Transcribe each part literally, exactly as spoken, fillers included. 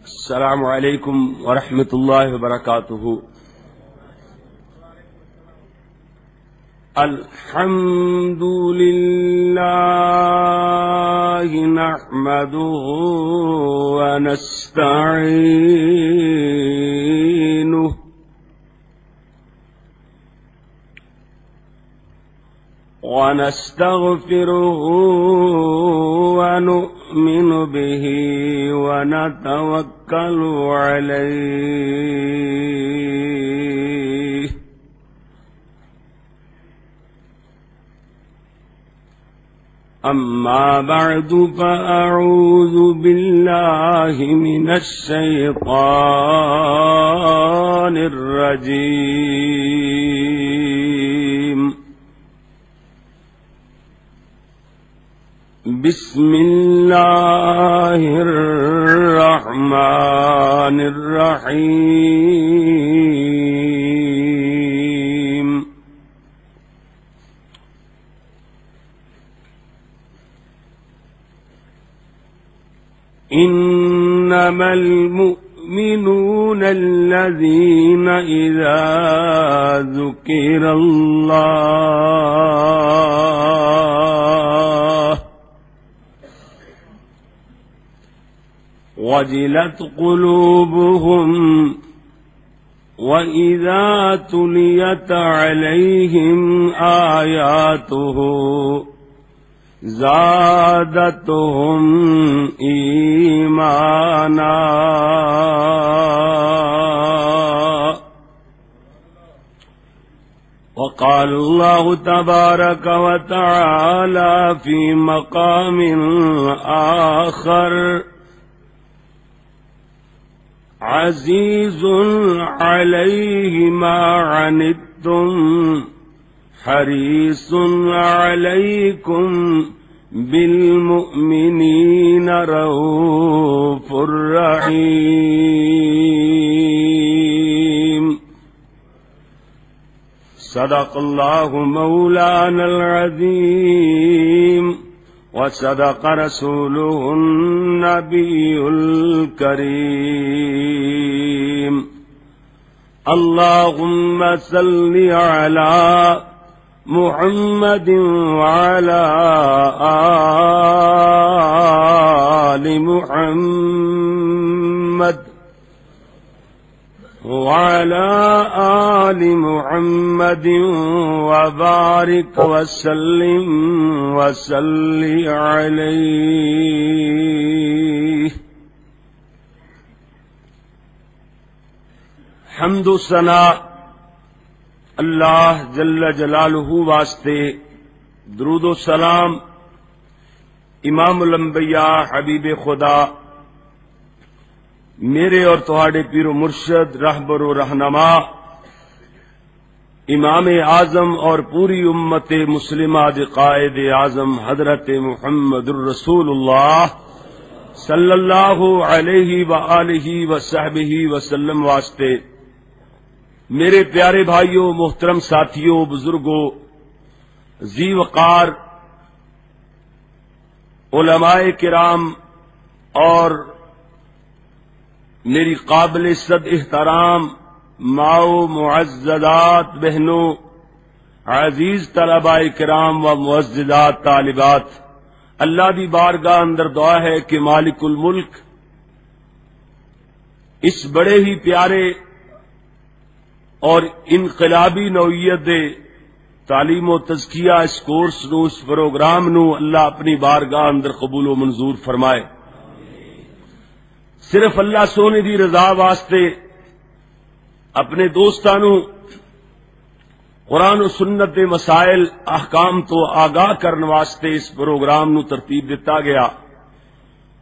السلام عليكم ورحمة الله وبركاته. الحمد لله نحمده ونستعينه ونستغفره ونؤمن به ونتوكل عليه. أما بعد، فأعوذ بالله من الشيطان الرجيم. بسم الله الرحمن الرحيم. إنما المؤمنون الذين إذا ذكر الله وجلت قلوبهم وإذا تليت عليهم آياته زادتهم إيمانا. وقال الله تبارك وتعالى في مقام آخر: عزيز عليه ما عنتم حريص عليكم بالمؤمنين رءوف رحيم. صدق الله مولانا العظيم وصدق رسوله النبي الكريم. اللهم صل على محمد وعلى آل محمد وعلى آل محمد وبارك وسلم وصل عليه. حمد و ثنا اللہ جل جلالہ واسطے، درود و سلام امام الانبیاء حبیب خدا، میرے اور تہاڈے پیر و مرشد، رہبر و رہنما، امام اعظم اور پوری امت مسلمہ دے قائد اعظم حضرت محمد الرسول اللہ صلی اللہ علیہ وآلہ وصحبہ وسلم واسطے۔ میرے پیارے بھائیو، محترم ساتھیو، بزرگو، ذی وقار علماء کرام اور میری قابل عزت احترام ماؤ، معززات بہنوں، عزیز طلباء کرام و معززات طالبات، اللہ دی بارگاہ اندر دعا ہے کہ مالک الملک اس بڑے ہی پیارے اور انقلابی نوعیت دے تعلیم و تزکیہ، اس کورس نو، اس پروگرام نو اللہ اپنی بارگاہ اندر قبول و منظور فرمائے۔ صرف اللہ سونے دی رضا واسطے اپنے دوستاں نو قرآن و سنت دے مسائل، احکام تو آگاہ کرن واسطے اس پروگرام نو ترتیب دتا گیا۔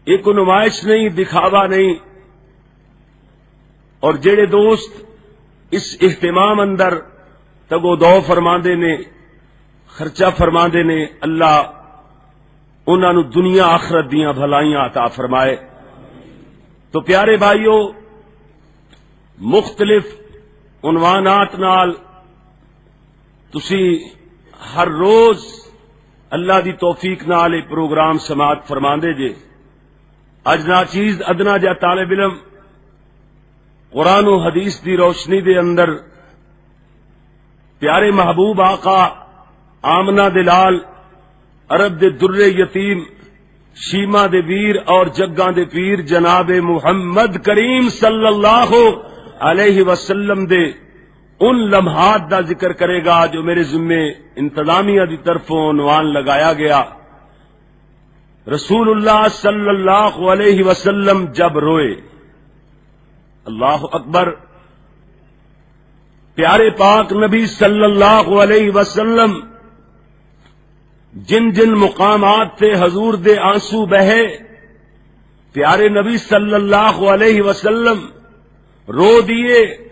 یہ کوئی نمائش نہیں، دکھاوا نہیں۔ اور جڑے دوست اس اہتمام اندر تگو دو فرماندے نے، خرچہ فرماندے نے، اللہ انہاں نوں دنیا آخرت دیاں بھلائیاں عطا فرمائے۔ تو پیارے بھائیو، مختلف عنوانات نال تسی ہر روز اللہ دی توفیق نال یہ پروگرام سماعت فرماندے جے۔ اج ناچیز ادنا جا طالب علم قرآن و حدیث دی روشنی دے اندر پیارے محبوب آقا آمنہ دے لال، عرب دے در یتیم، شیما دے ویر اور جگاں دے پیر جناب محمد کریم صلی اللہ علیہ وسلم دے ان لمحات دا ذکر کرے گا جو میرے ذمے انتظامیہ دی طرفوں عنوان لگایا گیا۔ رسول اللہ صلی اللہ علیہ وسلم جب روئے، اللہ اکبر، پیارے پاک نبی صلی اللہ علیہ وسلم جن جن مقامات تے حضور دے آنسو بہے، پیارے نبی صلی اللہ علیہ وسلم رو دیے۔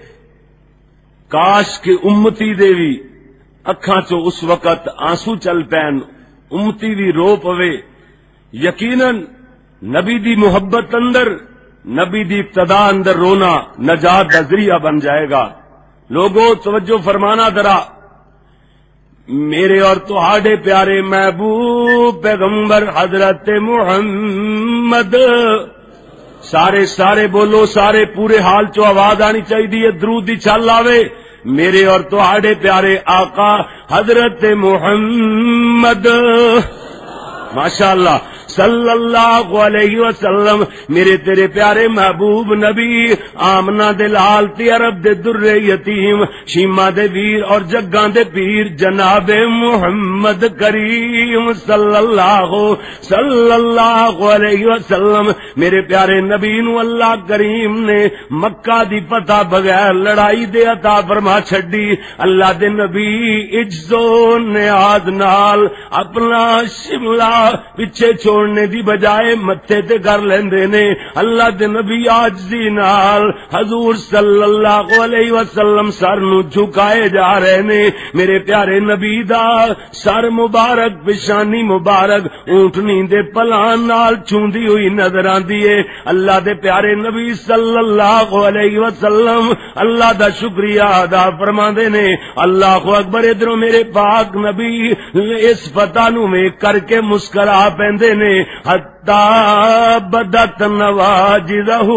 کاش کہ امتی دے وی اکھاں چوں اس وقت آنسو چل پین، امتی وی رو پوے۔ یقیناً نبی دی محبت اندر، نبی دی اقتدا اندر رونا نجات دا ذریعہ بن جائے گا۔ لوگو، توجہ فرمانا ذرا، میرے اور تہاڈے پیارے محبوب پیغمبر حضرت محمد، سارے سارے بولو، سارے پورے حال چو آواز آنی چاہیے، درود دی چھل آوے۔ میرے اور تہاڈے پیارے آقا حضرت محمد، ماشاءاللہ، صلی اللہ علیہ وسلم، میرے تیرے پیارے محبوب نبی، آمنہ دے لال تے عرب دے در یتیم، شیما دے ویر اور جگاں دے پیر جناب محمد کریم صلی اللہ، صلی اللہ علیہ وسلم۔ میرے پیارے نبی نو اللہ کریم نے مکہ دی فتح بغیر لڑائی دے عطا فرما چھڈی۔ اللہ دے نبی عجز و نیاز نال اپنا شملہ پیچھے چھوڑنے دی بجائے متھے تے کر لیندے نے۔ اللہ دے نبی عاجزی نال حضور صلی اللہ علیہ وسلم سر نو جھکائے جا رہے نے۔ میرے پیارے نبی دا سر مبارک، پیشانی مبارک اونٹنی دے پلان نال چھوندی ہوئی نظر آندی ہے۔ اللہ دے پیارے نبی صلی اللہ علیہ وسلم اللہ دا شکریہ ادا فرماندے نے۔ اللہ اکبر۔ ادھروں میرے پاک نبی اس فتح نو ویکھ کر کے مسکرا پیندے نے۔ حتی بدت نواجذہ،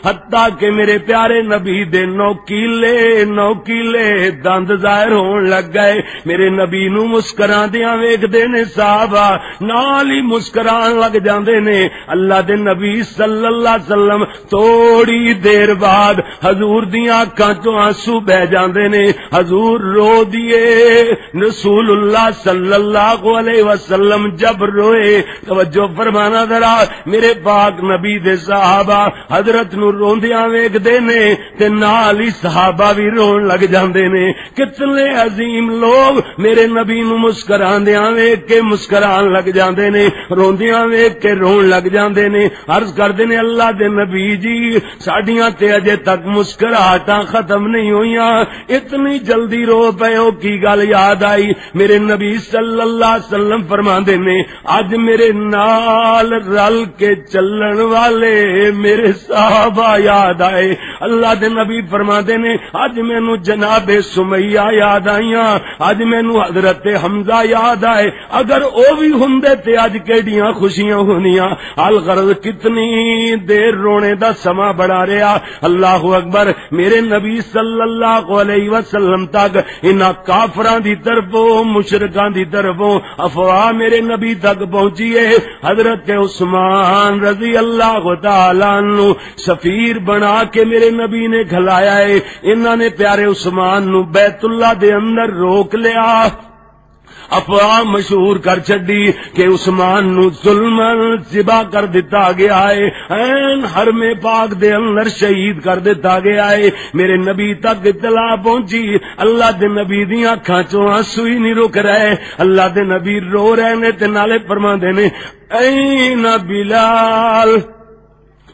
حتی کہ میرے پیارے نبی دے نوکیلے نوکیلے دند ظاہر ہون لگ گئے۔ میرے نبی نو مسکراندیاں ویکھدے نے صحابہ، نال ہی مسکران لگ جاندے نے۔ اللہ دے نبی صلی اللہ علیہ وسلم توڑی دیر بعد حضور دیاں اکھاں چوں آنسو بہ جاندے نے۔ حضور رو دیے۔ رسول اللہ صلی اللہ علیہ وسلم جب روئے، توجہ فرمانا ذرا، میرے پاک نبی دے صحابہ حضرت نو روندیاں ویکھدے نے تے نال ہی صحابہ بھی رون لگ جاندے نے۔ کتنے عظیم لوگ میرے نبی نو مسکراندیاں ویکھ کے مسکران لگ جاندے نے، روندیاں ویکھ کے رون لگ جاندے نے۔ عرض کردے نے، اللہ دے نبی جی، ساڈیاں تے اجے تک مسکراہٹاں ختم نہیں ہوئیاں، اتنی جلدی رو پئے ہو، کی گل یاد آئی؟ میرے نبی صلی اللہ علیہ وسلم فرماندے نے، اج میرے نال رل کے چلن والے میرے صحابہ یاد آئے۔ اللہ دے نبی فرماندے نے، اج مینوں جناب سمیہ یاد آئیاں، اج مینوں حضرت حمزہ یاد آئے۔ اگر او بھی ہوندے تے اج کیڑیاں خوشیاں ہونیاں۔ الغرض، کتنی دیر رونے دا سماں بڑا رہیا۔ اللہ اکبر۔ میرے نبی صلی اللہ علیہ وسلم تک انہاں کافراں دی طرفوں، مشرکاں دی طرفوں افواہ میرے نبی تک پہنچی ہے۔ حضرت عثمان رضی اللہ تعالیٰ عنہ سفیر بنا کے میرے نبی نے گھلایا ہے۔ انہاں نے پیارے عثمان نو بیت اللہ دے اندر روک لیا۔ افواہ مشہور کر چھڈی کہ عثمان نو ظلماً ذبح کر دتا گیا ہے، عین حرم پاک دے اندر شہید کر دتا گیا ہے۔ میرے نبی تک اطلاع پہنچی، اللہ دے نبی دیاں اکھاں چوں آنسو ہی نہیں رک رہے۔ اللہ دے نبی رو رہے نے تے نالے فرما نے، "این بلال؟"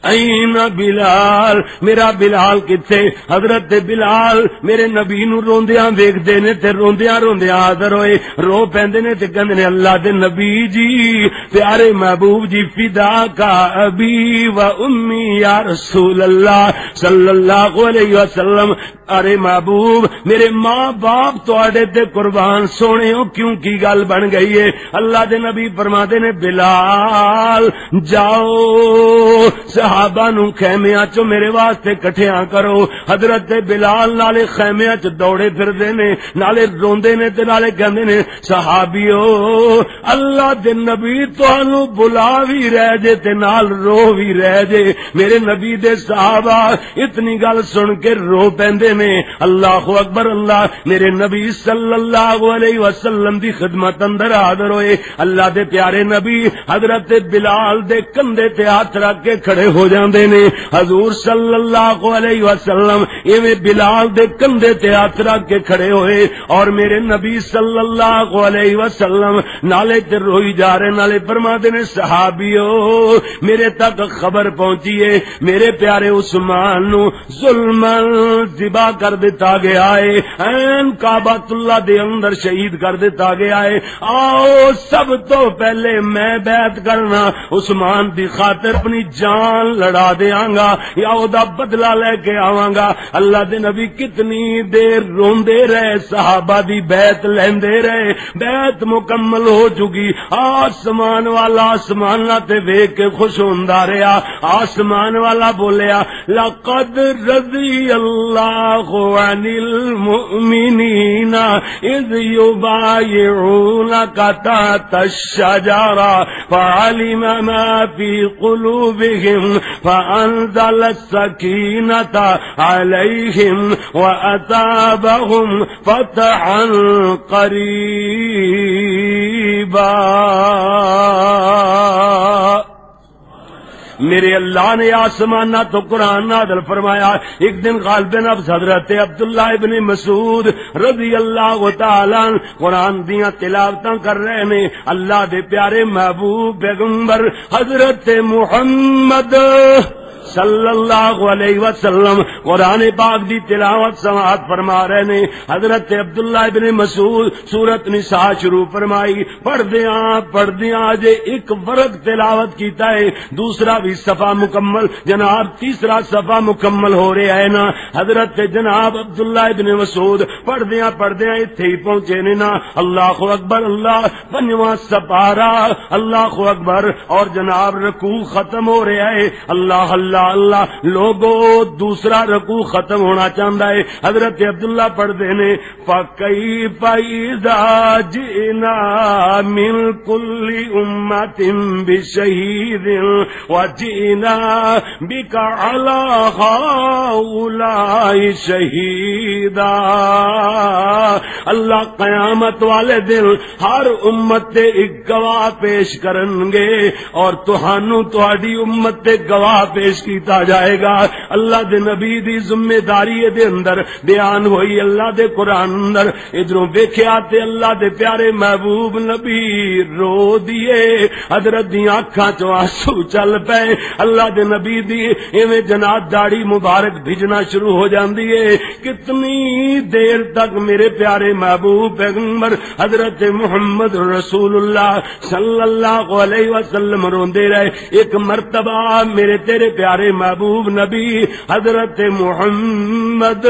"این بلال؟" میرا بلال کتھے؟ حضرت بلال میرے نبی نو روندیاں ویکھدے نے تے روندیاں روندیاں حاضر ہوئے، رو پیندے نے تے کہندے نے، "اللہ دے نبی جی، پیارے محبوب جی، فدا کا ابی و امی یا رسول اللہ صلی اللہ علیہ وسلم، ارے محبوب، میرے ماں باپ تواڈے تے قربان، سونے ہو، کیوں، کی گل بن گئی ہے؟" اللہ دے نبی فرماندے نے، "بلال، جاؤ، صحابہ نو خیمیاں چوں میرے واسطے کٹھیاں کرو۔ حضرت بلال نالے خیمیاں چ دوڑے پھردے نے، نالے روندے نے تے نالے کہندے نے، "صحابیو، اللہ دے نبی تانوں بلا وی رہ جے تے نال رو وی رہ جے۔" میرے نبی دے صحابہ اتنی گل سن کے رو پیندے نے۔ اللہ اکبر، اللہ۔ میرے نبی صلی اللہ علیہ وسلم دی خدمت اندر حاضر ہوئے۔ اللہ دے پیارے نبی حضرت بلال دے کندھے تے ہاتھ رکھ کے کھڑے ہو جاندے نے۔ حضور صلی اللہ علیہ وسلم ایویں بلال دے کندھے تے ہاتھ رکھ کے کھڑے ہوئے اور میرے نبی صلی اللہ علیہ وسلم نالے تے روئی جا رہے، نالے فرما دے نے، "صحابیو، میرے تک خبر پہنچی ہے، میرے پیارے عثمان نو ظلماً ذبح کر دتا گیا ہے، عین کعبۃ اللہ دے اندر شہید کر دتا گیا ہے۔ آؤ، سب تو پہلے میں بیعت کرنا، عثمان دی خاطر اپنی جان لڑا دیاں گا یا او دا بدلہ لے کے آواں گا۔" اللہ دے نبی کتنی دیر روندے رہے، صحابہ دی بیعت لیندے رہے۔ بیعت مکمل ہو چکی۔ آسمان والا آسمان تے ویکھ کے خوش ہوندا رہیا۔ آسمان والا بولیا، "لقد رضی اللہ عن المؤمنین اذ یبایعونک تحت الشجرہ فعلم ما فی قلوبهم فانزل السکینۃ علیہم واثابہم فتحا قریبا۔" میرے اللہ نے آسمانہ تو قرآن نازل فرمایا۔ ایک دن غالب نفس حضرت عبداللہ ابن مسعود رضی اللہ تعالیٰ عنہ قرآن دیاں تلاوتاں کر رہے نے۔ اللہ دے پیارے محبوب پیغمبر حضرت محمد صلی اللہ علیہ وسلم قرآن پاک دی تلاوت سماعت فرما رہے نے۔ حضرت عبداللہ ابن مسعود سورت نساء شروع فرمائی، پڑھدیاں پڑھدیاں اجے ایک ورق تلاوت کیتا ہے، دوسرا بھی صفحہ مکمل، جناب، تیسرا صفحہ مکمل ہو رہا ہے نا۔ حضرت جناب عبداللہ ابن مسعود پڑھدیاں پڑھدیاں اتھے ہی پہنچے نے نا۔ اللہ اکبر، اللہ، پنجواں سپارہ، اللہ اکبر، اور جناب رکوع ختم ہو رہا ہے۔ اللہ، اللہ، اللہ، لوگو، دوسرا رکوع ختم ہونا چاہتا ہے۔ حضرت عبداللہ پڑھتے نے، فَكَيْفَ إِذَا جِئْنَا مِنْ كُلِّ أُمَّةٍ بِشَهِيدٍ وَجِئْنَا بِكَ عَلَى هَؤُلَاءِ شَهِيدًا۔ اللہ قیامت والے دن ہر امت تے ایک گواہ پیش کرن گے، اور تہانوں تہاڈی امت تے گواہ پیش کیتا جائے گا۔ اللہ دے نبی دی ذمہ داری دے اندر بیان ہوئی اللہ دے قرآن اندر۔ ادھروں ویکھیا تے اللہ دے پیارے محبوب نبی رو دیے، حضرت دیاں اکھاں چوں آنسو چل پئے۔ اللہ دے نبی دی ایویں جناب داڑھی مبارک بھجنا شروع ہو جاندی ہے۔ کتنی دیر تک میرے پیارے محبوب پیغمبر حضرت محمد رسول اللہ صلی اللہ علیہ وسلم روندے رہے۔ ایک مرتبہ میرے تیرے پیارے محبوب نبی حضرت محمد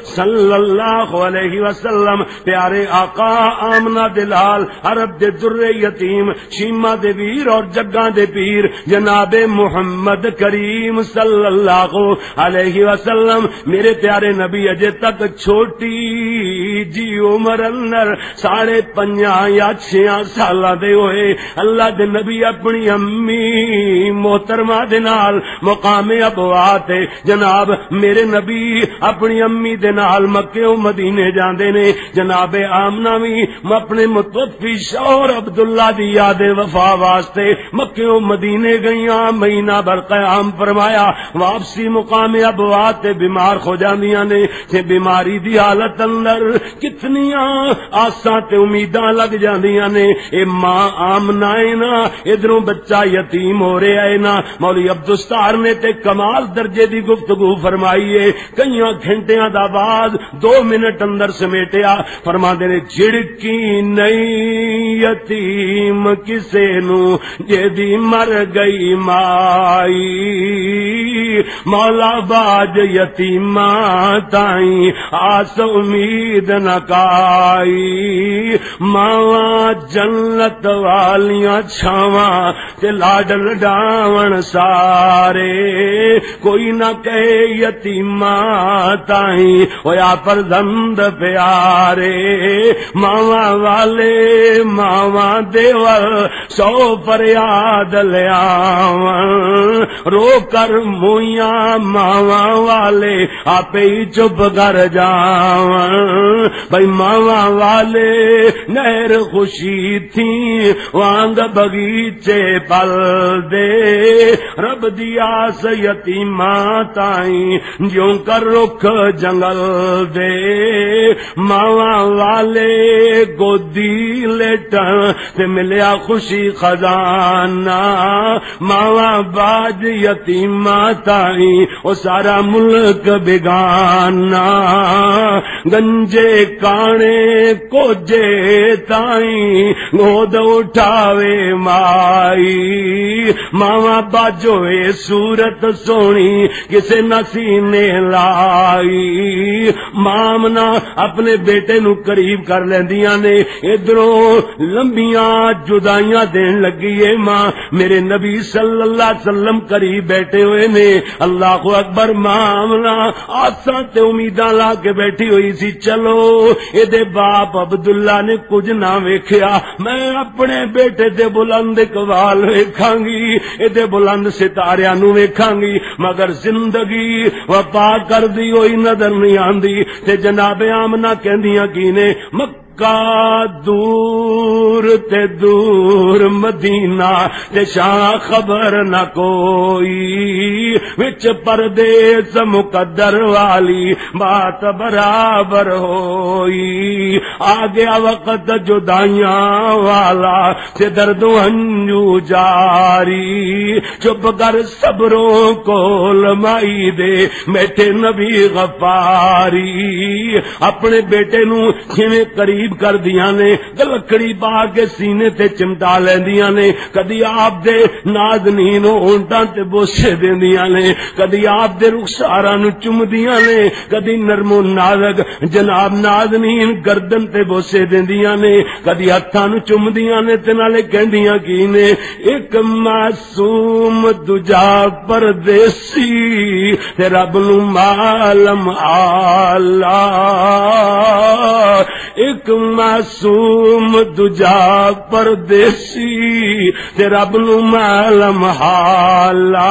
صلی اللہ علیہ وسلم، پیارے آقا آمنہ دلال، عرب دے در یتیم، شیما دے ویر اور جگاں دے پیر جناب محمد کریم صلی اللہ علیہ وسلم، میرے پیارے نبی اجے تک چھوٹی جی عمر اندر ساڑھے پنجاں یا چھیاں سالاں دے ہوئے اللہ دے نبی اپنی امی محترمہ دے نال مقام ابوا تے جناب میرے نبی اپنی امی دے نال مکے و مدینے جاندے نے۔ جناب آمنہ وی اپنے متوفی شوہر عبداللہ دی یاد وفا واسطے مکے و مدینے گئیاں، مہینہ بھر قیام فرمایا، واپسی مقام ابوا تے بیمار ہو جاندیاں نے۔ تے بیماری دی حالت اندر کتنیاں آساں تے امیداں لگ جاندیاں نے۔ اے ماں آمنہ ہے نا، ادھروں بچہ یتیم ہو رہا ہے نا۔ مولوی عبدالستار نے تے کمال درجے دی گفتگو فرمائی ہے۔ کئیاں گھنٹیاں دا بعد دو منٹ اندر سمیٹیا، فرماندے نے، "جھڑکی نئی یتیم کسے نو، جے دی مر گئی مائی، مولا باج یتیماں تائیں آس امید نہ کائی، ماواں جنت والیاں چھاواں تے لاڈ لڈاون سارے۔" کوئی نہ کہے یتیماں تائیں، ہویا فرزند پیارے۔ ماواں والے، ماواں دیول، سو فریاد لیاون۔ رو کر مویاں ماواں والے، آپے ہی چپ کر جاون۔ بھائی ماواں والے، نہر خوشی تھی وانگ بغیچے پل دے۔ رب دی آس یتیماں تائیں، جیوں کر رخ جنگل دے۔ ماواں والے، گودی لیٹن تے ملیا خوشی خزانہ۔ ماواں باج یتیماں تائیں، او سارا ملک بیگانہ۔ گنجے کانے کوجے تائیں، گود اٹھاوے مائی۔ ماواں باجو اے صورت سونی، کسے نہ سینے لائی۔ ماں آمنہ اپنے بیٹے نو قریب کر لیندیاں نے۔ ادھروں لمبیاں جدائیاں دین لگی اے ماں۔ میرے نبی صلی اللہ علیہ وسلم قریب بیٹھے ہوئے نے۔ اللہ اکبر۔ ماں آمنہ آساں تے امیداں لا کے بیٹھی ہوئی سی، چلو، اے دے باپ عبداللہ نے کچھ نہ ویکھیا، میں اپنے بیٹے دے بلند اقبال ویکھاں گی، اے دے بلند ستاریاں نو ویکھاں گی، مگر زندگی وفا کردی ہوئی نظر نہیں آندی۔ تے جناب آمنہ کہندیاں کی نے، مکہ دور تے دور مدینہ، تے شاہ خبر نہ کوئی، وچ پردیس مقدر والی بات برابر ہوئی۔ آ گیا وقت جدائیاں والا، تے درد و ہنجو جاری۔ چپ کر صبروں کول مائی دے، میٹھے نبی غفاری۔ اپنے بیٹے نو کھویں قریب کر دیاں نے، گلکڑی پا کے سینے تے چمٹا لیندیاں نے، کدی آپ دے نازنین ہونٹاں تے بوسے دیندیاں نے، کدی آپ دے رخساراں نو چمدیاں نے، کدی نرم و نازک جناب نازنین گردن تے بوسے دیندیاں نے، کدی ہتھاں نو چمدیاں نے تے نالے کہندیاں کی نے، ایک معصوم دوجا پردیسی تے رب نو معلوم آلہ۔ ایک معصوم دوجا پردیسی تے رب نو معلوم حالا۔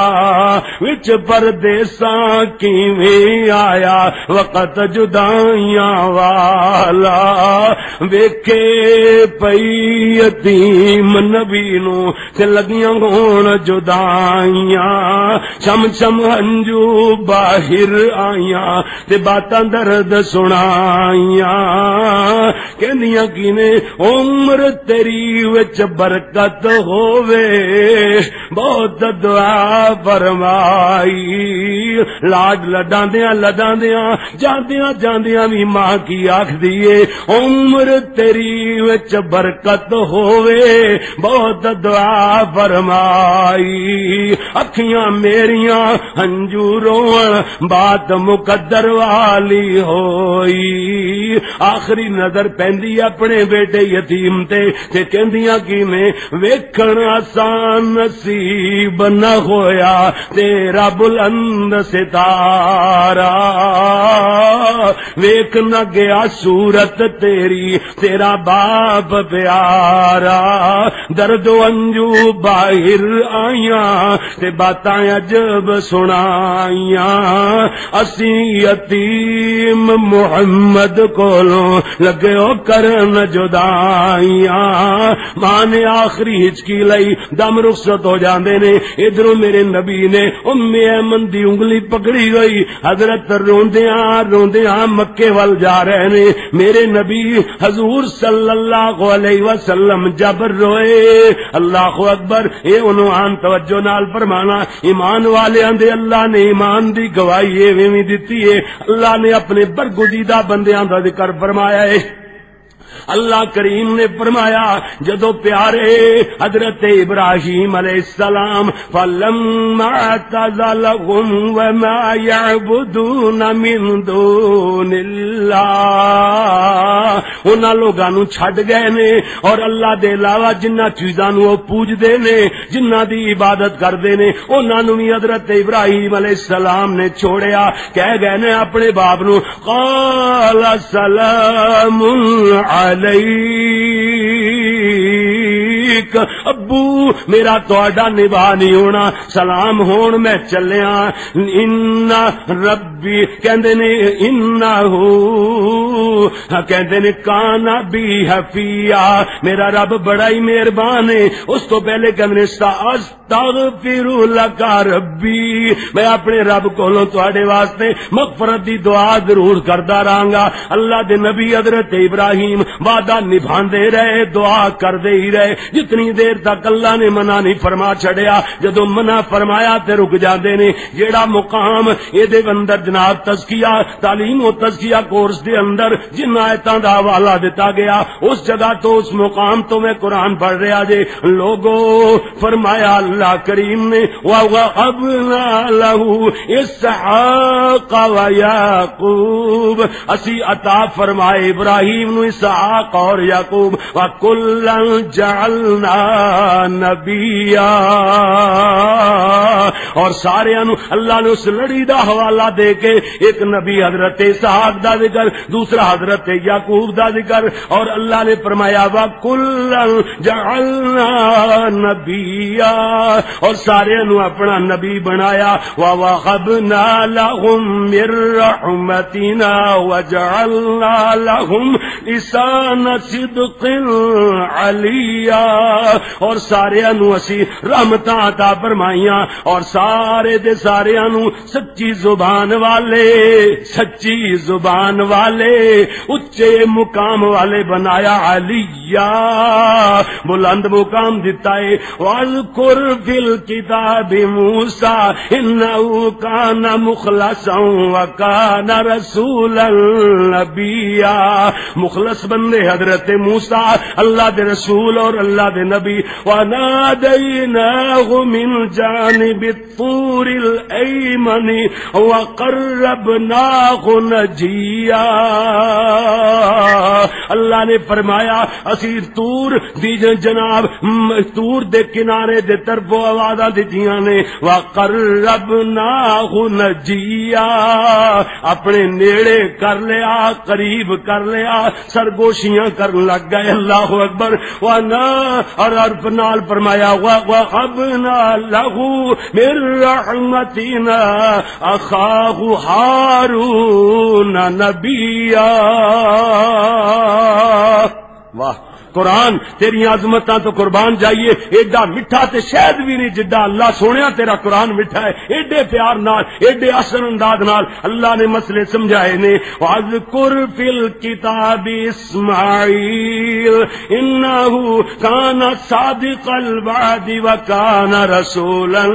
وچ پردیساں کیویں آیا وقت جدائیاں والا۔ ویکھے پئی یتیم نبی نو تے لگیاں ہون جدائیاں، چم چم ہنجو باہر آئیاں، تے باتاں درد سنائیاں۔ کہندیاں کی نے، عمر تیری وچ برکت ہووے، بہت دعا فرمائی۔ لاڈ لڈاندیاں لڈاندیاں، جاندیاں جاندیاں وی ماں کی آکھدی اے، عمر تیری وچ برکت ہووے، بہت دعا فرمائی۔ اکھیاں میریاں ہنجو روئن، بات مقدر والی ہوئی۔ آخری نظر پیندی اپنے بیٹے یتیم تے، تے کہندیاں کی میں، ویکھن آسان نصیب نہ ہویا تیرا بلند ستارہ۔ ویکھ نہ گیا صورت تیری، تیرا باپ پیارا۔ درد و انجو باہر آئیاں، تے باتاں عجب سنائیاں۔ اسی یتیم محمد کولوں لگے ہو کرن جدائیاں۔ ماں نے آخری ہچکی لئی، دم رخصت ہو جاندے نے۔ ادھروں میرے نبی نے ام ایمن دی انگلی پکڑی ہوئی، حضرت روندیاں روندیاں مکے ول جا رہے نے۔ میرے نبی حضور صلی اللہ علیہ وسلم جب روئے، اللہ اکبر، اے عنوان توجہ نال فرمانا، ایمان والیاں دے اللہ نے ایمان دی گواہی ایویں وی دتی ہے۔ اللہ نے اپنے برگزیدہ بندیاں دا ذکر فرمایا ہے۔ اللہ کریم نے فرمایا، جدو پیارے حضرت ابراہیم علیہ السلام، فلما اعتزلهم وما يعبدون من دون الله، انہاں لوگاں نوں چھڈ گئے نے اور اللہ دے علاوہ جنہاں چیزاں نوں وہ پوجدے نے، جنہاں دی عبادت کردے نے، انہاں نوں وی حضرت ابراہیم علیہ السلام نے چھوڑیا۔ کہہ گئے نے اپنے باپ نوں، قال سلام علیک، ابو، میرا تہاڈا نبھا نہیں ہونا، سلام ہون، میں چلیا۔ ان ربی، کہندے نے، انہ، کہندے نے، کان بی حفیا، میرا رب بڑا ہی مہربان ہے۔ اس تو پہلے کہندے نے، ساس تغفر لک ربی، میں اپنے رب کولوں تواڈے واسطے مغفرت دی دعا ضرور کردا رہاں گا۔ اللہ دے نبی حضرت ابراہیم وعدہ نبھاندے رہے، دعا کردے ہی رہے، جتنی دیر تک اللہ نے منع نہیں فرما چھڈیا۔ جدوں منع فرمایا تے رک جاندے نے۔ جیڑا مقام اے دے اندر جناب تزکیہ، تعلیم و تزکیہ کورس دے اندر جن آیتاں دا حوالہ دتا گیا، اس جگہ تو، اس مقام تو میں قرآن پڑھ رہا جے۔ لوگو، فرمایا اللہ کریم نے، وَوَهَبْنَا لَهُ إِسْحَاقَ وَيَعْقُوبَ، اسی عطا فرمائے ابراہیم نو اسحاق اور یعقوب، وَكُلًّا جَعَلْنَا نَبِيًّا، اور سارے نو اللہ نے اس لڑی دا حوالہ دے کے ایک نبی حضرت اسحاق دا ذکر، دوسرا حضرت یعقوب دا ذکر، اور اللہ نے فرمایا، وَكُلًّا جَعَلْنَا نَبِيًّا، اور سارے نو اپنا نبی بنایا۔ وَوَهَبْنَا لَهُم مِّن رَّحْمَتِنَا وَجَعَلْنَا لَهُمْ لِسَانَ صِدْقٍ عَلِيًّا، اور سارے نو اسی رحمتاں عطا فرمائیاں، اور سارے دے سارے نو سچی زبان والے، سچی زبان والے، اچے مقام والے بنایا۔ عَلِيًّا، بلند مقام دتا ہے۔ وَاذْكُرْ فِي الْكِتَابِ مُوسَىٰ إِنَّهُ كَانَ مُخْلَصًا وَكَانَ رَسُولًا نَبِيًّا۔ مخلص بندے حضرت موسیٰ، اللہ دے رسول اور اللہ دے نبی۔ وَنَادَيْنَاهُ مِن جَانِبِ الطُّورِ الْأَيْمَنِ وَقَرَّبْنَاهُ نَجِيًّا۔ اللہ نے فرمایا، اسی طور دی ج-، جناب، م-، طور دے کنارے دے طرفوں آوازاں دتیاں نے، وَقَرَّبْنَاهُ نَجِيًّا، اپنے نیڑے کر لیا، قریب کر لیا، سرگوشیاں کرن لگ گئے۔ اللہ اکبر۔ وَنَا، اور عرف نال فرمایا، وَوَهَبْنَا لَهُ مِن رَّحْمَتِنَا أَخَاهُ هَارُونَ نَبِيًّا۔ واہ، قرآن تیری عظمتاں تو قربان جائیے، ایڈا مٹھا تے شہد بھی نہیں جڈا اللہ سونیا تیرا قرآن مٹھا ہے۔ ایڈے پیار نال، ایڈے اثر انداز نال اللہ نے مسئلے سمجھائے نے۔ وَاذْكُرْ فِي الْكِتَابِ إِسْمَاعِيلَ إِنَّهُ كَانَ صَادِقَ الْوَعْدِ وَكَانَ رَسُولًا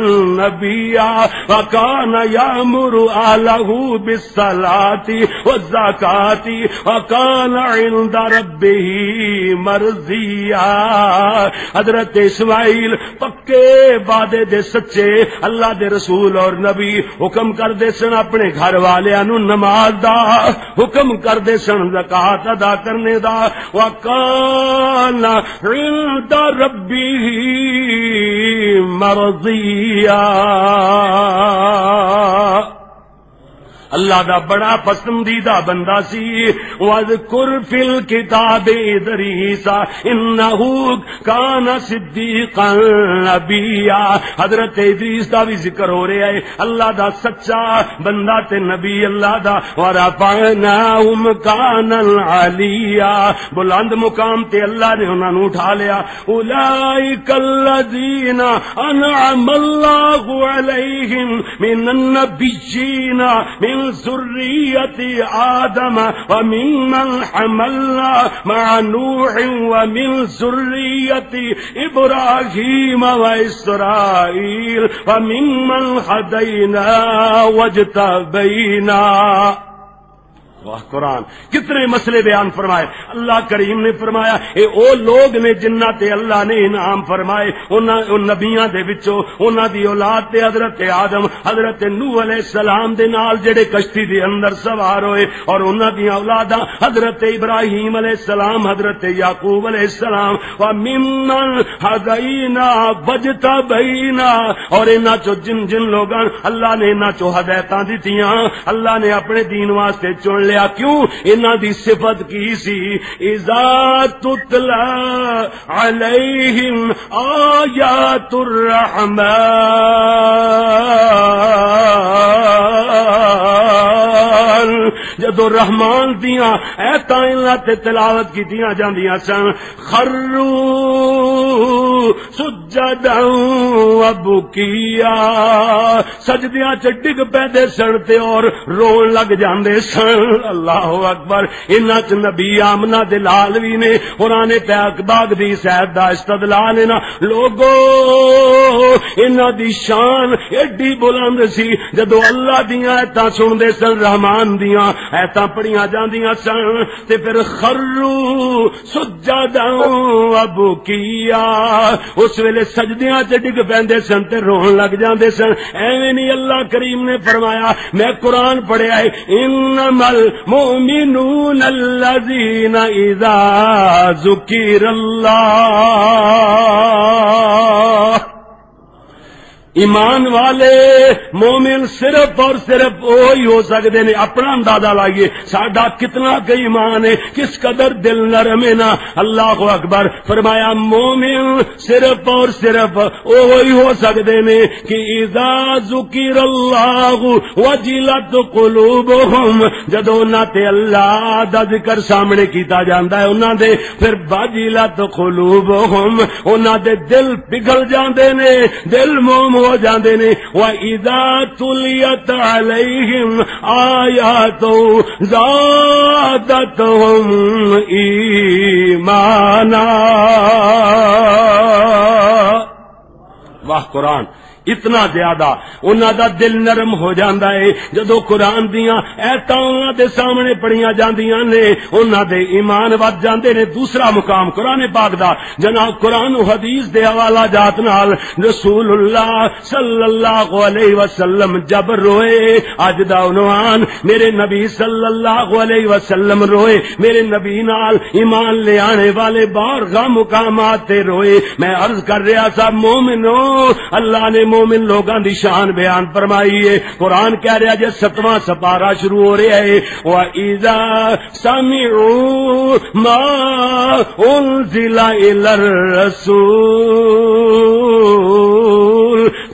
نَبِيًّا وَكَانَ يَأْمُرُ أَهْلَهُ بِالصَّلَاةِ وَالزَّكَاةِ وَكَانَ عِندَ رَبِّهِ مَرْضِيًّا۔ حضرت اسماعیل پکے وعدے دے سچے اللہ دے رسول اور نبی، حکم کردے سن اپنے گھر والیاں نوں نماز دا، حکم کردے سن زکوٰۃ ادا کرنے دا۔ وَكَانَ عِندَ رَبِّهِ مَرْضِيًّا۔ اللہ دا بڑا پسندیدہ بندہ سی۔ وَاذْكُرْ فِي الْكِتَابِ إِدْرِيسَ إِنَّهُ كَانَ صِدِّيقًا نَبِيًّا۔ حضرت ادریس دا بھی ذکر ہو رہا ہے، اللہ دا سچا بندہ تے نبی اللہ دا۔ وَرَفَعْنَاهُ مَكَانًا عَلِيًّا، بلند مقام تے اللہ نے انہاں نوں اٹھا لیا۔ أولئك الذين أنعم الله عليهم من النبيين من ذرية آدم وممن حملنا مع نوح ومن ذرية إبراهيم وإسرائيل وممن هدينا واجتبينا۔ واہ قرآن، کتنے مسئلے بیان فرمائے۔ اللہ کریم نے فرمایا، اے او لوگ نے جنہ تے اللہ نے انعام فرمائے، انہاں، ان نبیاں دے وچوں، انہاں دی اولاد تے حضرت آدم، حضرت نوح علیہ السلام دے نال جڑے کشتی دے اندر سوار ہوئے، اور انہاں دیاں اولاداں حضرت ابراہیم علیہ السلام، حضرت یعقوب علیہ السلام، وَمِمَّنْ هَدَيْنَا وَاجْتَبَيْنَا، اور انہاں چوں جن جن لوگاں، اللہ نے انہاں چوں ہدایتاں دتیاں، اللہ نے اپنے دین واسطے چن لیا۔ کیوں؟ انہاں دی صفت کی سی؟ اذا تتلی علیہم آیات الرحمن، جدو رحمان دیاں ایتاں انہاں تے تلاوت کیتیاں جاندیاں سن، خروا سجدا وبکیا، سجدیاں چ ڈگ پیندے سن تے اور رون لگ جاندے سن۔ اللہ اکبر۔ انہاں چ نبی آمنہ دے لال وی نے۔ قرآن پاک باغ دی سیر دا استدلال انہاں لوگو، انہاں دی شان ایڈی بلند سی، جدوں اللہ دیاں آیتاں سن دے سن، رحمان دیاں آیتاں پڑھیاں جاندیاں سن، تے پھر خروا سجدا وبکیا، اس ویلے سجدیاں تے ڈگ پیندے سن تے رون لگ جاندے سن۔ ایویں نہیں، اللہ کریم نے فرمایا، میں قرآن پڑھیا ہے، انما المؤمنون الذین اذا ذکر اللہ، ایمان والے، مومن صرف اور صرف وہی ہو سکتے نے۔ اپنا اندازہ لائیے، ساڈا کتنا کہ ایمان ہے، کس قدر دل نرم ہے نا۔ اللہ اکبر۔ فرمایا، مومن صرف اور صرف وہی ہو سکتے نے کہ اذا ذکر اللہ وجلت قلوبہم، جدوں انہاں تے اللہ دا ذکر سامنے کیتا جاندا ہے انہاں دے، پھر وجلت قلوبہم، انہاں دے دل پگھل جاندے نے، دل موم ہو جاندے نے۔ وَإِذَا تُلِيَتْ عَلَيْهِمْ آيَاتُهُ زَادَتْهُمْ إِيمَانًا۔ واہ قرآن، اتنا زیادہ انہاں دا دل نرم ہو جاندا ہے۔ جدوں قرآن دیاں ایتاں انہاں دے سامنے پڑھیاں جاندیاں نے، انہاں دے ایمان ود جاندے نے۔ دوسرا مقام قرآن پاک دا، جناب، قرآن و حدیث دے حوالہ جات نال رسول اللہ صلی اللہ علیہ وسلم جب روئے، اج دا عنوان، میرے نبی صلی اللہ علیہ وسلم روئے۔ میرے نبی نال ایمان لے آنے والے بارگاہ مقامات تے روئے۔ میں عرض کر رہا سا، مومنو، اللہ نے مومن لوگاں دی شان بیان فرمائی ہے۔ قرآن کہہ رہا جے ستواں سپارہ شروع ہو رہا ہے، وَإِذَا سَمِعُوا مَا أُنزِلَ إِلَى الرَّسُولِ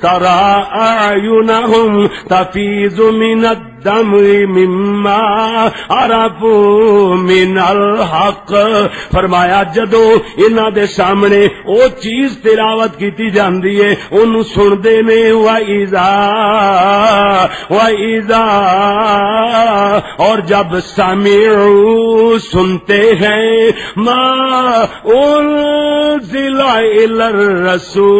تَرَى أَعْيُنَهُمْ تَفِيضُ مِنَ الدَّمْعِ مِمَّا عَرَفُوا مِنَ الْحَقِّ۔ فرمایا، جدوں انہاں دے سامنے او چیز تلاوت کیتی جاندی ہے، اونوں سن دے نے، وَإِذَا، وَإِذَا، اور جب سمعوا، سنتے ہیں، مَا أُنزِلَ إِلَى الرَّسُولِ،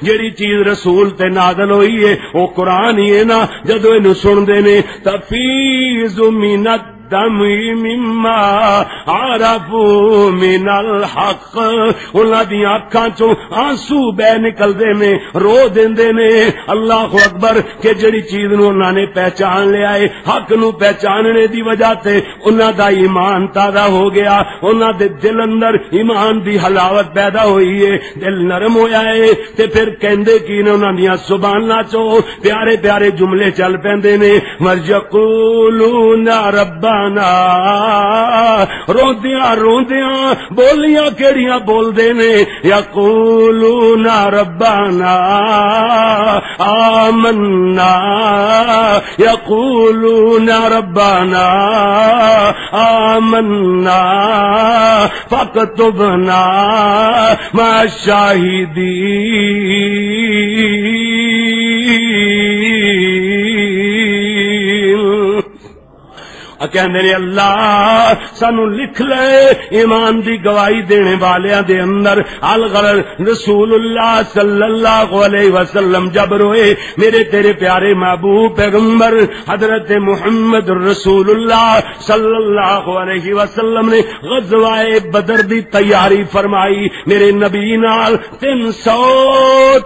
جڑی چیز رسول تے نازل ہوئی ہے، او قرآن ہی ہے نا۔ جدوں اینوں سن دے نے، تفیض من الدمع مما عرفوا من الحق، انہاں دیاں اکھاں چوں آنسو بہ نکلدے نے، رو دیندے نے۔ اللہ اکبر، کہ جڑی چیز نوں انہاں نے پہچان لیا ہے، حق نوں پہچاننے دی وجہ تے انہاں دا ایمان تازہ ہو گیا، انہاں دے دل اندر ایمان دی حلاوت پیدا ہوئی ہے، دل نرم ہویا ہے۔ تے پھر کہندے کی نے، انہاں دیاں زباناں چوں پیارے پیارے جملے چل پیندے نے، وَيَقُولُونَ رَبَّنَا، روندیاں روندیاں بولیاں کیڑیاں بول دے نے، یقولون ربنا آمنا، یقولون ربنا آمنا فاکتبنا مع الشاہدین۔ کہندے نے، "اللہ، سانو لکھ لے ایمان دی گواہی دینے والیاں دے اندر۔" الغرض، رسول اللہ صلی اللہ علیہ وسلم جب روئے، میرے تیرے پیارے محبوب پیغمبر حضرت محمد رسول اللہ صلی اللہ علیہ وسلم نے غزوہ بدر دی تیاری فرمائی۔ میرے نبی نال تین سو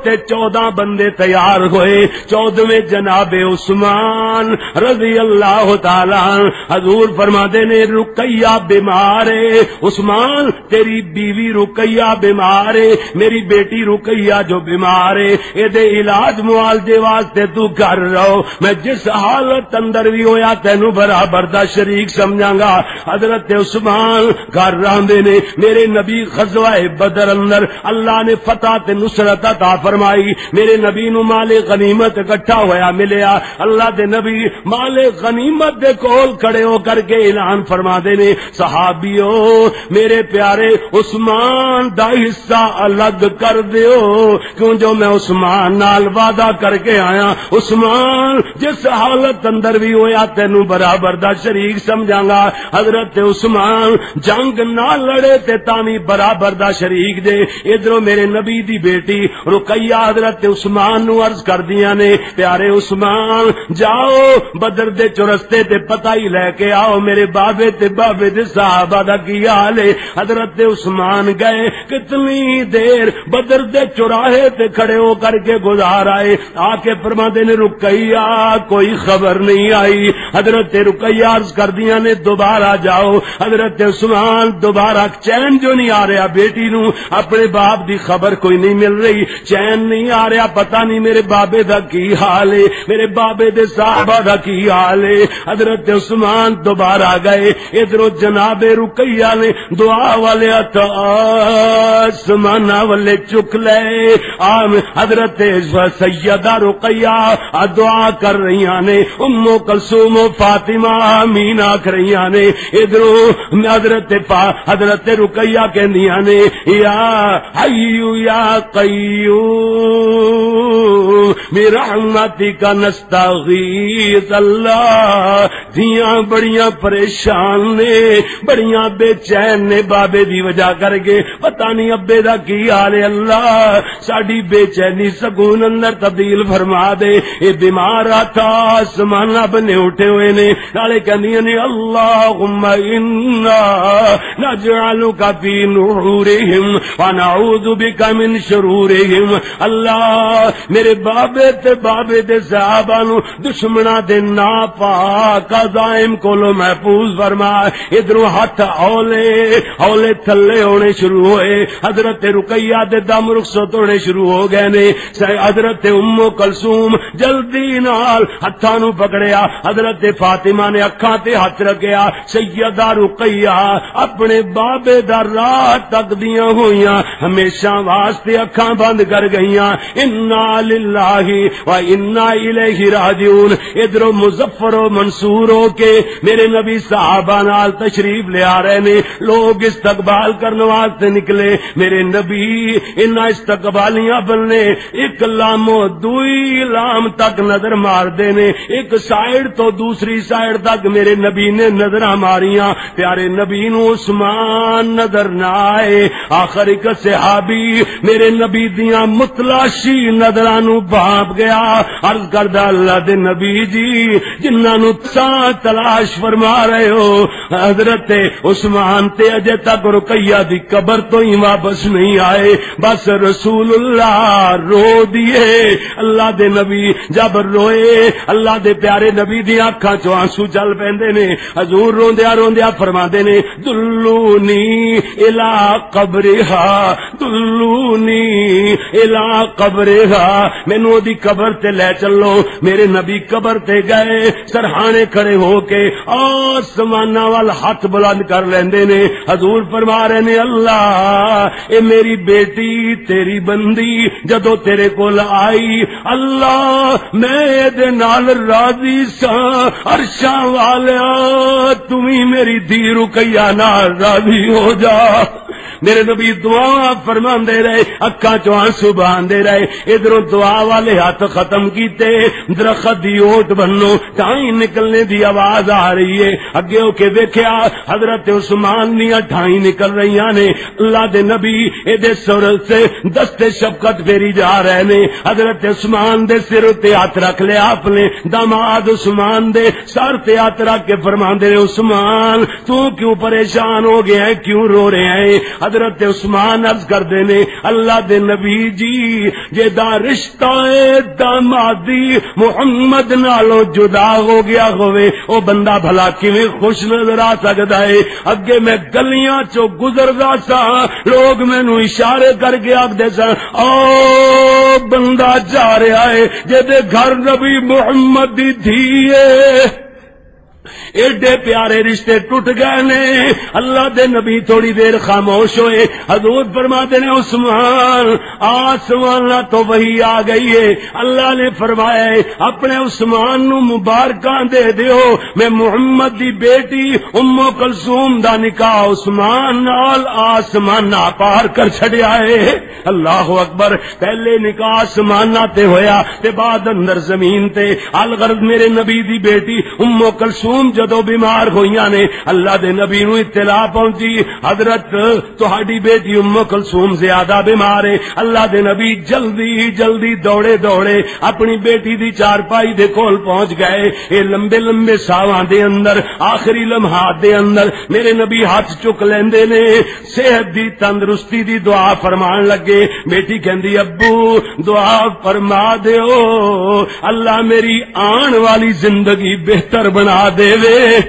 تے چودہ بندے تیار ہوئے۔ چودہویں جناب عثمان رضی اللہ تعالی عنہ۔ حضور فرماندے نے، "رقیہ بیمار ہے، عثمان، تیری بیوی رقیہ بیمار ہے، میری بیٹی رقیہ جو بیمار ہے، اے دے علاج معالجے واسطے تو گھر رہو، میں جس حالت اندر بھی ہویا تینوں برابر دا شریک سمجھاں گا۔" حضرت عثمان گھر راندے نے۔ میرے نبی غزوہ بدر اندر اللہ نے فتح تے نصرت عطا فرمائی۔ میرے نبی نو مال غنیمت اکٹھا ہویا ملیا۔ اللہ دے نبی مال غنیمت دے کول کھڑے ہو کر کے اعلان فرما دے نے، "صحابیو، میرے پیارے عثمان دا حصہ الگ کر دیو، کیوں جو میں عثمان نال وعدہ کر کے آیا۔ عثمان، جس حالت اندر بھی ہویا، تینوں برابر دا شریک سمجھاں گا۔" حضرت عثمان جنگ نہ لڑے تے تاں وی برابر دا شریک جے۔ ادھروں میرے نبی دی بیٹی رقیہ حضرت عثمان نو عرض کردیاں نے، "پیارے عثمان، جاؤ بدر دے چرستے تے پتہ ہی لے کے آؤ، میرے بابے تے بابے دے صحابہ دا کی حال ہے۔" حضرت عثمان گئے، کتنی دیر بدر دے چوراہے تے کھڑے ہو کر کے گزار آئے۔ آ کے فرماندے نے، "رقیہ، کوئی خبر نہیں آئی۔" حضرت رقیہ عرض کردیاں نے، "دوبارہ جاؤ۔" حضرت عثمان دوبارہ، چین جو نہیں آ رہا بیٹی نو، اپنے باپ دی خبر کوئی نہیں مل رہی، چین نہیں آ رہا، پتہ نہیں میرے بابے دا کی حال ہے، میرے بابے دے صحابہ دا کی حال ہے۔ حضرت عثمان دوبارہ گئے، ادھروں جناب رقیہ نے دعا والے ہتھ آسماناں والے چک لے۔ آم، حضرت سیدہ رقیہ آ دعا کر رہیاں نے، ام کلثوم و فاطمہ آمین آکھ رہیاں نے۔ ادھروں حضرت پا-، حضرت رقیہ کہندیاں نے، "یا حی یا قیوم برحمتک نستغیث۔" اللہ، دھیاں بڑیاں پریشان نے، بڑیاں بے چین نے بابے دی وجہ کر کے، پتہ نہیں ابے دا کی حال ہے۔ اللہ، ساڈی بے چینی سکون اندر تبدیل فرما دے۔ اے بیمار ہتھ آسماناں بنے اٹھے ہوئے نے، نالے کہندیاں نے، "اللہم انا نجعلک فی نحورہم ونعوذ بک من شرورہم۔" اللہ، میرے بابے تے بابے دے صحابہ نو دشمناں دے ناپاک عزائم کولوں محفوظ فرما۔ ادھروں ہتھ اولے اولے تھلے ہونے شروع ہوئے۔ حضرت رقیہ دے دم رخصت ہونے شروع ہو گئے نے۔ س-، حضرت ام کلثوم جلدی نال ہتھاں نوں پکڑیا۔ حضرت فاطمہ نے اکھاں تے ہتھ رکھیا۔ سیدہ رقیہ اپنے بابے دا راہ تکدیاں ہوئیاں ہمیشہ واسطے اکھاں بند کر گئیاں۔ انا للہ و انا الیہ راجعون۔ ادھروں مظفر و منصور ہو کے میرے نبی صحابہ نال تشریف لے آ رہے نے۔ لوگ استقبال کرن واسطے نکلے۔ میرے نبی انہاں استقبالیاں بننے، ایک لام و دوئی لام تک نظر مار دے نے، ایک سائیڈ تو دوسری سائیڈ تک میرے نبی نے نظراں ماریاں۔ پیارے نبی نو عثمان نظر نہ آئے۔ آخر ایک صحابی میرے نبی دیاں متلاشی نظراں نو بھانپ گیا۔ عرض کردا، "اللہ دے نبی جی، جنہاں نو تساں تلاش فرما رہے ہو، حضرت عثمان تے اجے تک رقیہ دی قبر تو ہی واپس نہیں آئے۔" بس رسول اللہ رو دیے۔ اللہ دے نبی جب روئے، اللہ دے پیارے نبی دی آنکھاں چوں آنسو چل پیندے نے۔ حضور روندیا روندیا فرماندے نے، "دلونی الی قبرہا، دلونی الی قبرہا، مینوں اودی قبر تے لے چلو۔" میرے نبی قبر تے گئے، سرہانے کھڑے ہو کے آسماناں وال ہاتھ بلند کر لیندے نے۔ حضور فرما رہے نے، "اللہ، اے میری بیٹی، تیری بندی جدوں تیرے کول آئی، اللہ، میں اے دے نال راضی ساں۔ عرشاں والیا، تم ہی میری دھی رقیہ نال راضی ہو جا۔" میرے نبی دعا فرماندے رہے، اکھاں چوں آنسو بہاندے رہے۔ ادھروں دعا والے ہاتھ ختم کیتے، درخت دی اوٹ بنو، ٹائیں نکلنے دی آواز آ رہی ہے۔ اگے ہو کے ویکھیا، حضرت عثمان دیاں ٹھائیں نکل رہیاں نے۔ اللہ دے نبی ایدے سر سے دست شفقت پھیری جا رہے نے۔ حضرت عثمان دے سر تے ہاتھ رکھ لیا آپ نے۔ داماد عثمان دے سر تے ہاتھ رکھ کے فرماندے نے، "عثمان، تو کیوں پریشان ہو گیا ہے، کیوں رو رہے ہیں؟" حضرت عثمان عرض کردے نے، "اللہ دے نبی جی، جے دا رشتہ اے دامادی محمد نالوں جدا ہو گیا ہوئے، او بندہ بھلا کیویں خوش نظر آ سکدا ہے؟ اگے میں گلیاں چوں گزردا سا، لوگ مینوں اشارے کر کے آکھدے سن، 'او بندہ جا رہا ہے جے دے گھر نبی محمد دی دھی ہے.'" ایڈے پیارے رشتے ٹوٹ گئے نے۔ اللہ دے نبی تھوڑی دیر خاموش ہوئے۔ حضور فرماتے نے، "عثمان، آسمان تو وحی آ گئی ہے۔" اللہ نے فرمایا ہے، "اپنے عثمان نو مبارکاں دے دیو، میں محمد دی بیٹی ام کلثوم دا نکاح عثمان نال آسمان پار کر چھڈیا ہے۔" اللہ اکبر۔ پہلے نکاح آسماناں تے ہویا تے بعد اندر زمین تے۔ الغرض، میرے نبی دی بیٹی ام کلثوم جدوں بیمار ہوئیاں نے، اللہ دے نبی نوں اطلاع پہنچی، "حضرت، تہاڈی بیٹی ام کلثوم زیادہ بیمار ہے۔" اللہ دے نبی جلدی جلدی دوڑے دوڑے اپنی بیٹی دی چارپائی دے کول پہنچ گئے۔ اے لمبے لمبے ساواں دے اندر، آخری لمحات دے اندر میرے نبی ہاتھ چک لیندے نے، صحت دی، تندرستی دی دعا فرمان لگے۔ بیٹی کہندی، "ابو، دعا فرما دیو، اللہ میری آن والی زندگی بہتر بنا دے وے۔"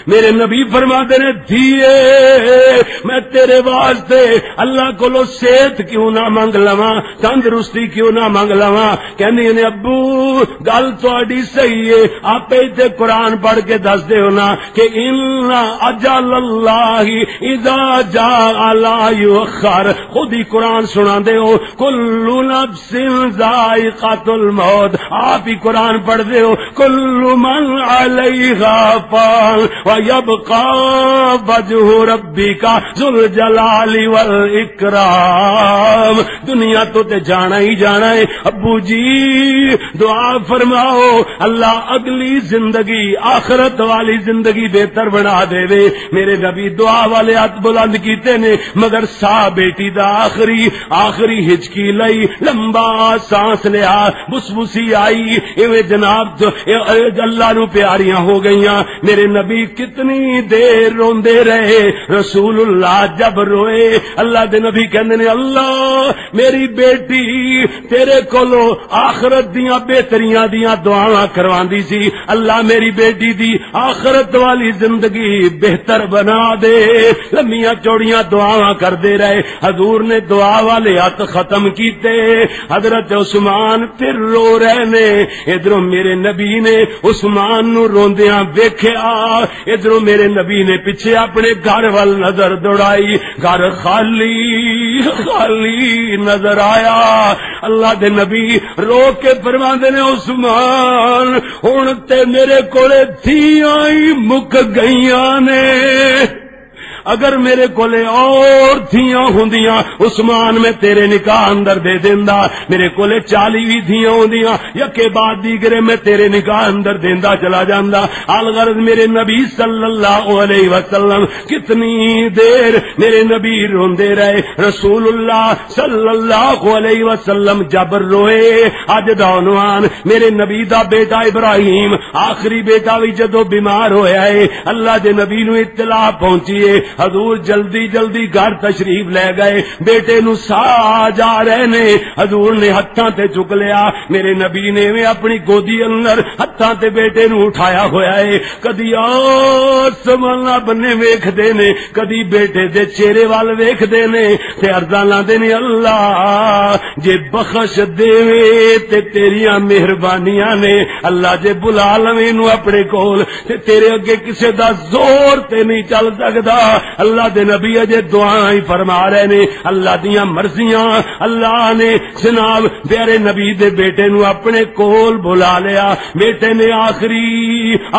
میرے نبی فرما دے نے، "دھیے، میں تیرے واسطے اللہ کولو صحت کیوں نہ منگ لواں، تندرستی کیوں نہ منگ لواں؟" کہندی نے، "ابو، گل تہاڈی صحیح ہے۔" آپ ایتھے قرآن پڑھ کے دس دے ہو نا کہ "ان اجل اللہ اذا جاء لا یؤخر۔" خود ہی قرآن سنا دے ہو، "کل نفس ذائقۃ الموت۔" آپ ہی قرآن پڑھ دے ہو، "کل من علیہا فان ویبقی وجہ ربک ذو الجلال والاکرام۔" دنیا تو تے جانا ہی جانا ہے۔ ابو جی، دعا فرماؤ، اللہ اگلی زندگی، آخرت والی زندگی بہتر بنا دے وے۔ میرے نبی دعا والے ہاتھ بلند کیتے نے، مگر سا بیٹی دا آخری، آخری ہچکی لئی، لمبا سانس لیا، بسبسی آئی، ایویں جناب تو، اے، اے، اللہ نو پیاریاں ہو گئیاں۔ میرے نبی کتنی دیر روندے رہے۔ رسول اللہ جب روئے، اللہ دے نبی کہندے نے، "اللہ، میری بیٹی تیرے کولو آخرت دیاں بہتریاں دیاں دعاواں کرواندی سی، اللہ میری بیٹی دی آخرت والی زندگی بہتر بنا دے۔" لمیاں چوڑیاں دعاواں کردے رہے۔ حضور نے دعا والے ہاتھ ختم کیتے۔ حضرت عثمان پھر رو رہے نے۔ ادھروں میرے نبی نے عثمان نو روندیاں ویکھیا، ادھروں میرے نبی نے پیچھے اپنے گھر وال نظر دوڑائی، گھر خالی، خالی نظر آیا۔ اللہ دے نبی رو کے فرماندے نے، "عثمان، ہن تے میرے کولے دھیاں ہی مک گئیاں نے۔" اگر میرے کولے اور دھیاں ہوندیاں، عثمان، میں تیرے نکاح اندر دے دیندا۔ میرے کولے چالی بھی دھیاں ہوندیاں، یکے بعد دیگرے میں تیرے نکاح اندر دیندا چلا جاندا۔ الغرض، میرے نبی صلی اللہ علیہ وسلم کتنی دیر میرے نبی روندے رہے۔ رسول اللہ صلی اللہ علیہ وسلم جب روئے، اج دا عنوان، میرے نبی دا بیٹا ابراہیم، آخری بیٹا بھی جدو بیمار ہویا ہے، اللہ دے نبی نو اطلاع پہنچی ہے۔ حضور جلدی جلدی گھر تشریف لے گئے، بیٹے نو ساہ آ جا رہے نے۔ حضور نے ہتھاں تے چک لیا، میرے نبی نے ایویں اپنی گودی اندر ہتھاں تے بیٹے نو اٹھایا ہویا ہے۔ کدی آسمان بننے ویکھدے نے، کدی بیٹے دے چہرے وال ویکھدے نے تے عرضاں لاندے نے، "اللہ جے بخش دیوے تے تیریاں مہربانیاں نے، اللہ جے بلا لویں نو اپنے کول تے تیرے اگے کسے دا زور تے نہیں چل سکدا۔" اللہ دے نبی اجے دعا ہی فرما رہے نے، اللہ دیاں مرضیاں، اللہ نے جناب پیارے نبی دے بیٹے نو اپنے کول بلا لیا۔ بیٹے نے آخری،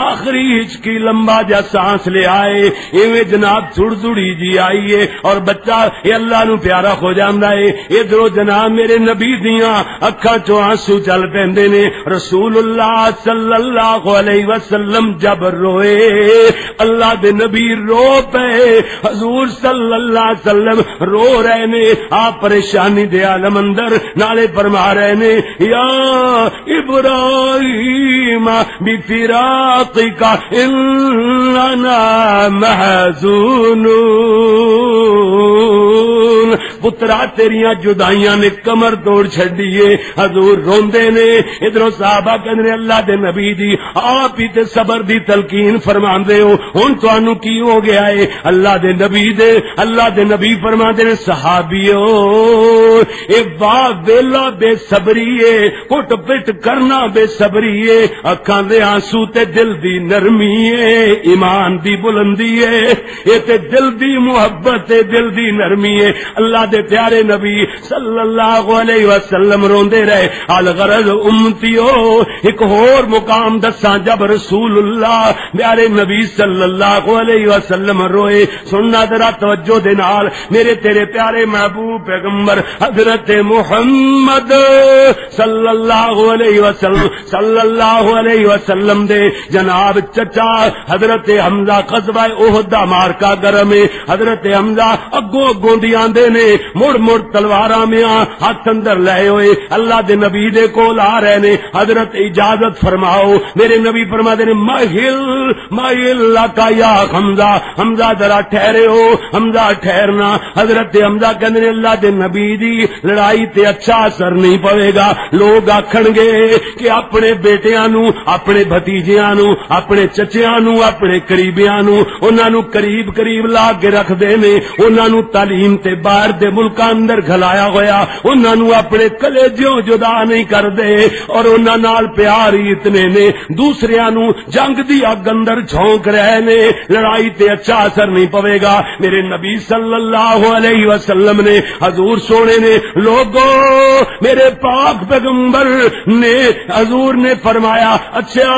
آخری ہچکی لمبا جا سانس لیا ہے، ایویں جناب سڑ سڑی جی آئی ہے، اور بچہ اے اللہ نو پیارا ہو جاندا ہے۔ ادھروں جناب میرے نبی دیاں اکھاں چوں آنسو چل پیندے نے۔ رسول اللہ صلی اللہ علیہ وسلم جب روئے، اللہ دے نبی رو پے، حضور صلی اللہ علیہ وسلم رو رہے نے، آپ پریشانی دے عالم اندر، نالے فرما رہے نے، یا ابراہیم بفراقک اننا محزونون۔ پترا، تیریاں جدائیاں نے کمر توڑ چھڈی ہے۔ حضور روندے نے، ادھروں صحابہ کہندے نے، اللہ دے نبی جی، آپ ہی تے صبر دی تلقین فرماندے ہو، ہن تانوں کی ہو گیا ہے؟ اللہ دے نبی دے، اللہ دے نبی فرماندے نے، صحابیو، اے واہ ویلا بے صبری ہے، کٹ پٹ کرنا بے صبری ہے، اکھاں دے آنسو تے دل دی نرمی ہے، ایمان دی بلندی ہے۔ اے تے دل دی محبت تے دل دی نرمی ہے۔ اللہ دے پیارے نبی صلی اللہ علیہ وسلم روندے رہے۔ الغرض امتیو، ایک ہور مقام دساں، جب رسول اللہ پیارے نبی صلی اللہ علیہ وسلم روئے، سننا ذرا توجہ دے نال، میرے تیرے پیارے محبوب پیغمبر حضرت محمد صلی اللہ علیہ وسلم، صلی اللہ علیہ وسلم دے جناب چچا حضرت حمزہ، غزوہ احد دا مارکا گرم ہے۔ حضرت حمزہ اگوں اگوں دی آندے نے، مڑ مڑ تلواراں میاں ہاتھ اندر لے ہوئے اللہ دے نبی دے کول آ رہے نے۔ حضرت، اجازت فرماؤ۔ میرے نبی فرما دے نے، مہل، مہل لکا یا حمزہ، حمزہ ذرا ٹھہرے ہو، حمزہ ٹھہرنا۔ حضرت حمزہ کہندے نے، اللہ دے نبی دی لڑائی تے اچھا اثر نہیں پوے گا۔ لوگ آکھن گے کہ اپنے بیٹیاں نو، اپنے بھتیجیاں نو، اپنے چچیاں نو، اپنے قریبیاں نو، انہاں نو قریب قریب لا کے رکھ دے نے، انہاں نو تعلیم تے باہر دے ملکاں اندر گھلایا ہویا، انہاں نو اپنے کلیجوں جدا نہیں کردے، اور انہاں نال پیار ہی اتنے نے، دوسریاں نو جنگ دی اگ اندر جھونک رہے نے، لڑائی تے اچھا اثر نہیں پوے گا۔ میرے نبی صلی اللہ علیہ وسلم نے، حضور سونے نے، لوگو، میرے پاک پیغمبر نے، حضور نے فرمایا، اچھا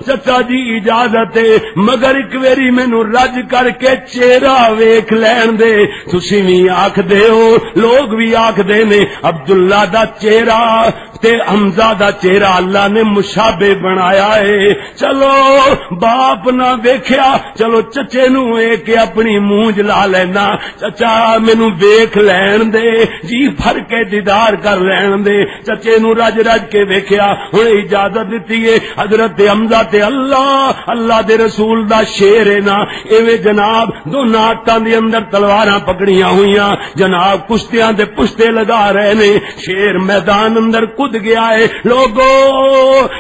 چچا جی اجازت ہے، مگر ایک ویری مینوں رج کر کے چہرہ ویکھ لین دے۔ تسی وی آکھ دے ہو، لوگ وی آکھ دے نے، عبداللہ دا چہرہ تے حمزہ دا چہرہ اللہ نے مشابہ بنایا ہے۔ چلو، باپ نہ ویکھیا، چلو چچے نو اے کہ اپنی مونجھ لا لینا، چچا مینوں ویکھ لین دے، جی بھر کے دیدار کر لین دے۔ چچے نو رج رج کے ویکھیا، ہن اجازت دتی ہے۔ حضرت حمزہ تے اللہ، اللہ دے رسول دا شیر ہے نا، ایویں جناب دوناں ہاتھاں دے اندر تلواراں پکڑیاں ہوئیاں، جناب کشتیاں دے پشتے لگا رہے نے۔ شیر میدان اندر کود گیا ہے۔ لوگو،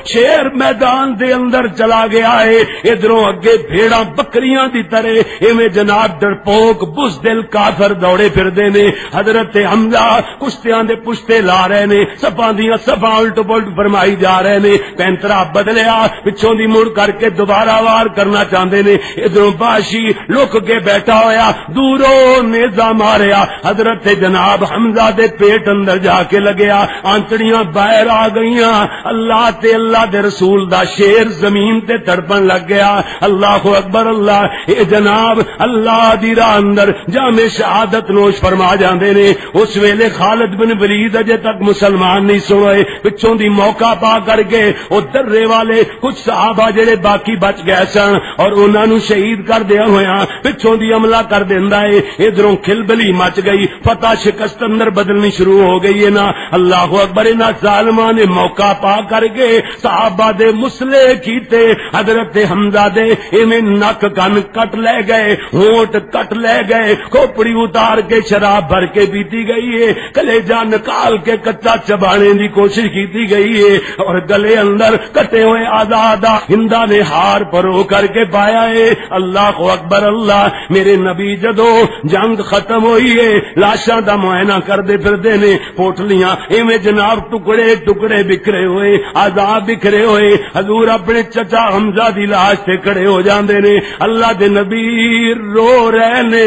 شیر میدان دے اندر چلا گیا ہے۔ ادھروں اگے بھیڑاں بکریاں دی طرح ایویں جناب ڈرپوک بزدل کافر دوڑے پھردے نے۔ حضرت حمزہ کشتیاں دے پشتے لا رہے نے، صفاں دیاں صفاں الٹ پلٹ فرمائی جا رہے نے۔ پینترا بدلیا، پچھوں دی مڑ کر کے دوبارہ وار کرنا چاہندے نے۔ ادھروں باشی لک کے بیٹھا ہویا، دوروں نیزہ ماریا، حضرت جناب حمزہ دے پیٹ اندر جا کے لگیا، آنتڑیاں باہر آ گئیاں۔ اللہ تے اللہ دے رسول دا شیر زمین تے تڑپن لگ گیا۔ اللہ اکبر، اللہ، اے جناب اللہ دی راہ اندر جام شہادت نوش فرما جاندے نے۔ اس ویلے خالد بن ولید اجے تک مسلمان نہیں سن ہوئے، پچھوں دی موقع پا کر کے او درے والے کچھ صحابہ جڑے باقی بچ گئے سن اور انہاں نوں شہید کر دیا ہویا پچھوں دی حملہ کر دیندا ہے۔ ادھروں کھلبلی مچ گئی، فتح شکست اندر بدلنی شروع ہو گئی ہے نا۔ اللہ اکبر، انہاں ظالماں نے موقع پا کر کے صحابہ دے مسلے کیتے، حضرت حمزہ دے ایویں نک کن کٹ لے گئے، ہونٹ کٹ لے گئے، کھوپڑی اتار کے شراب بھر کے پیتی گئی ہے، کلیجہ نکال کے کچا چبانے دی کوشش کیتی گئی ہے، اور گلے اندر کٹے ہوئے آزادہ ہندا نے ہار پرو کر کے پایا ہے۔ اللہ اکبر اللہ، میرے نبی جدو جنگ ختم ہوئی ہے، لاشاں دا معائنہ کردے پھردے نے، پوٹلیاں ایویں جناب ٹکڑے تے ٹکڑے بکھرے ہوئے، اعضاء بکھرے ہوئے۔ حضور اپنے چچا حمزہ دی لاش تے کھڑے ہو جاندے نے۔ اللہ دے نبی رو رہے نے،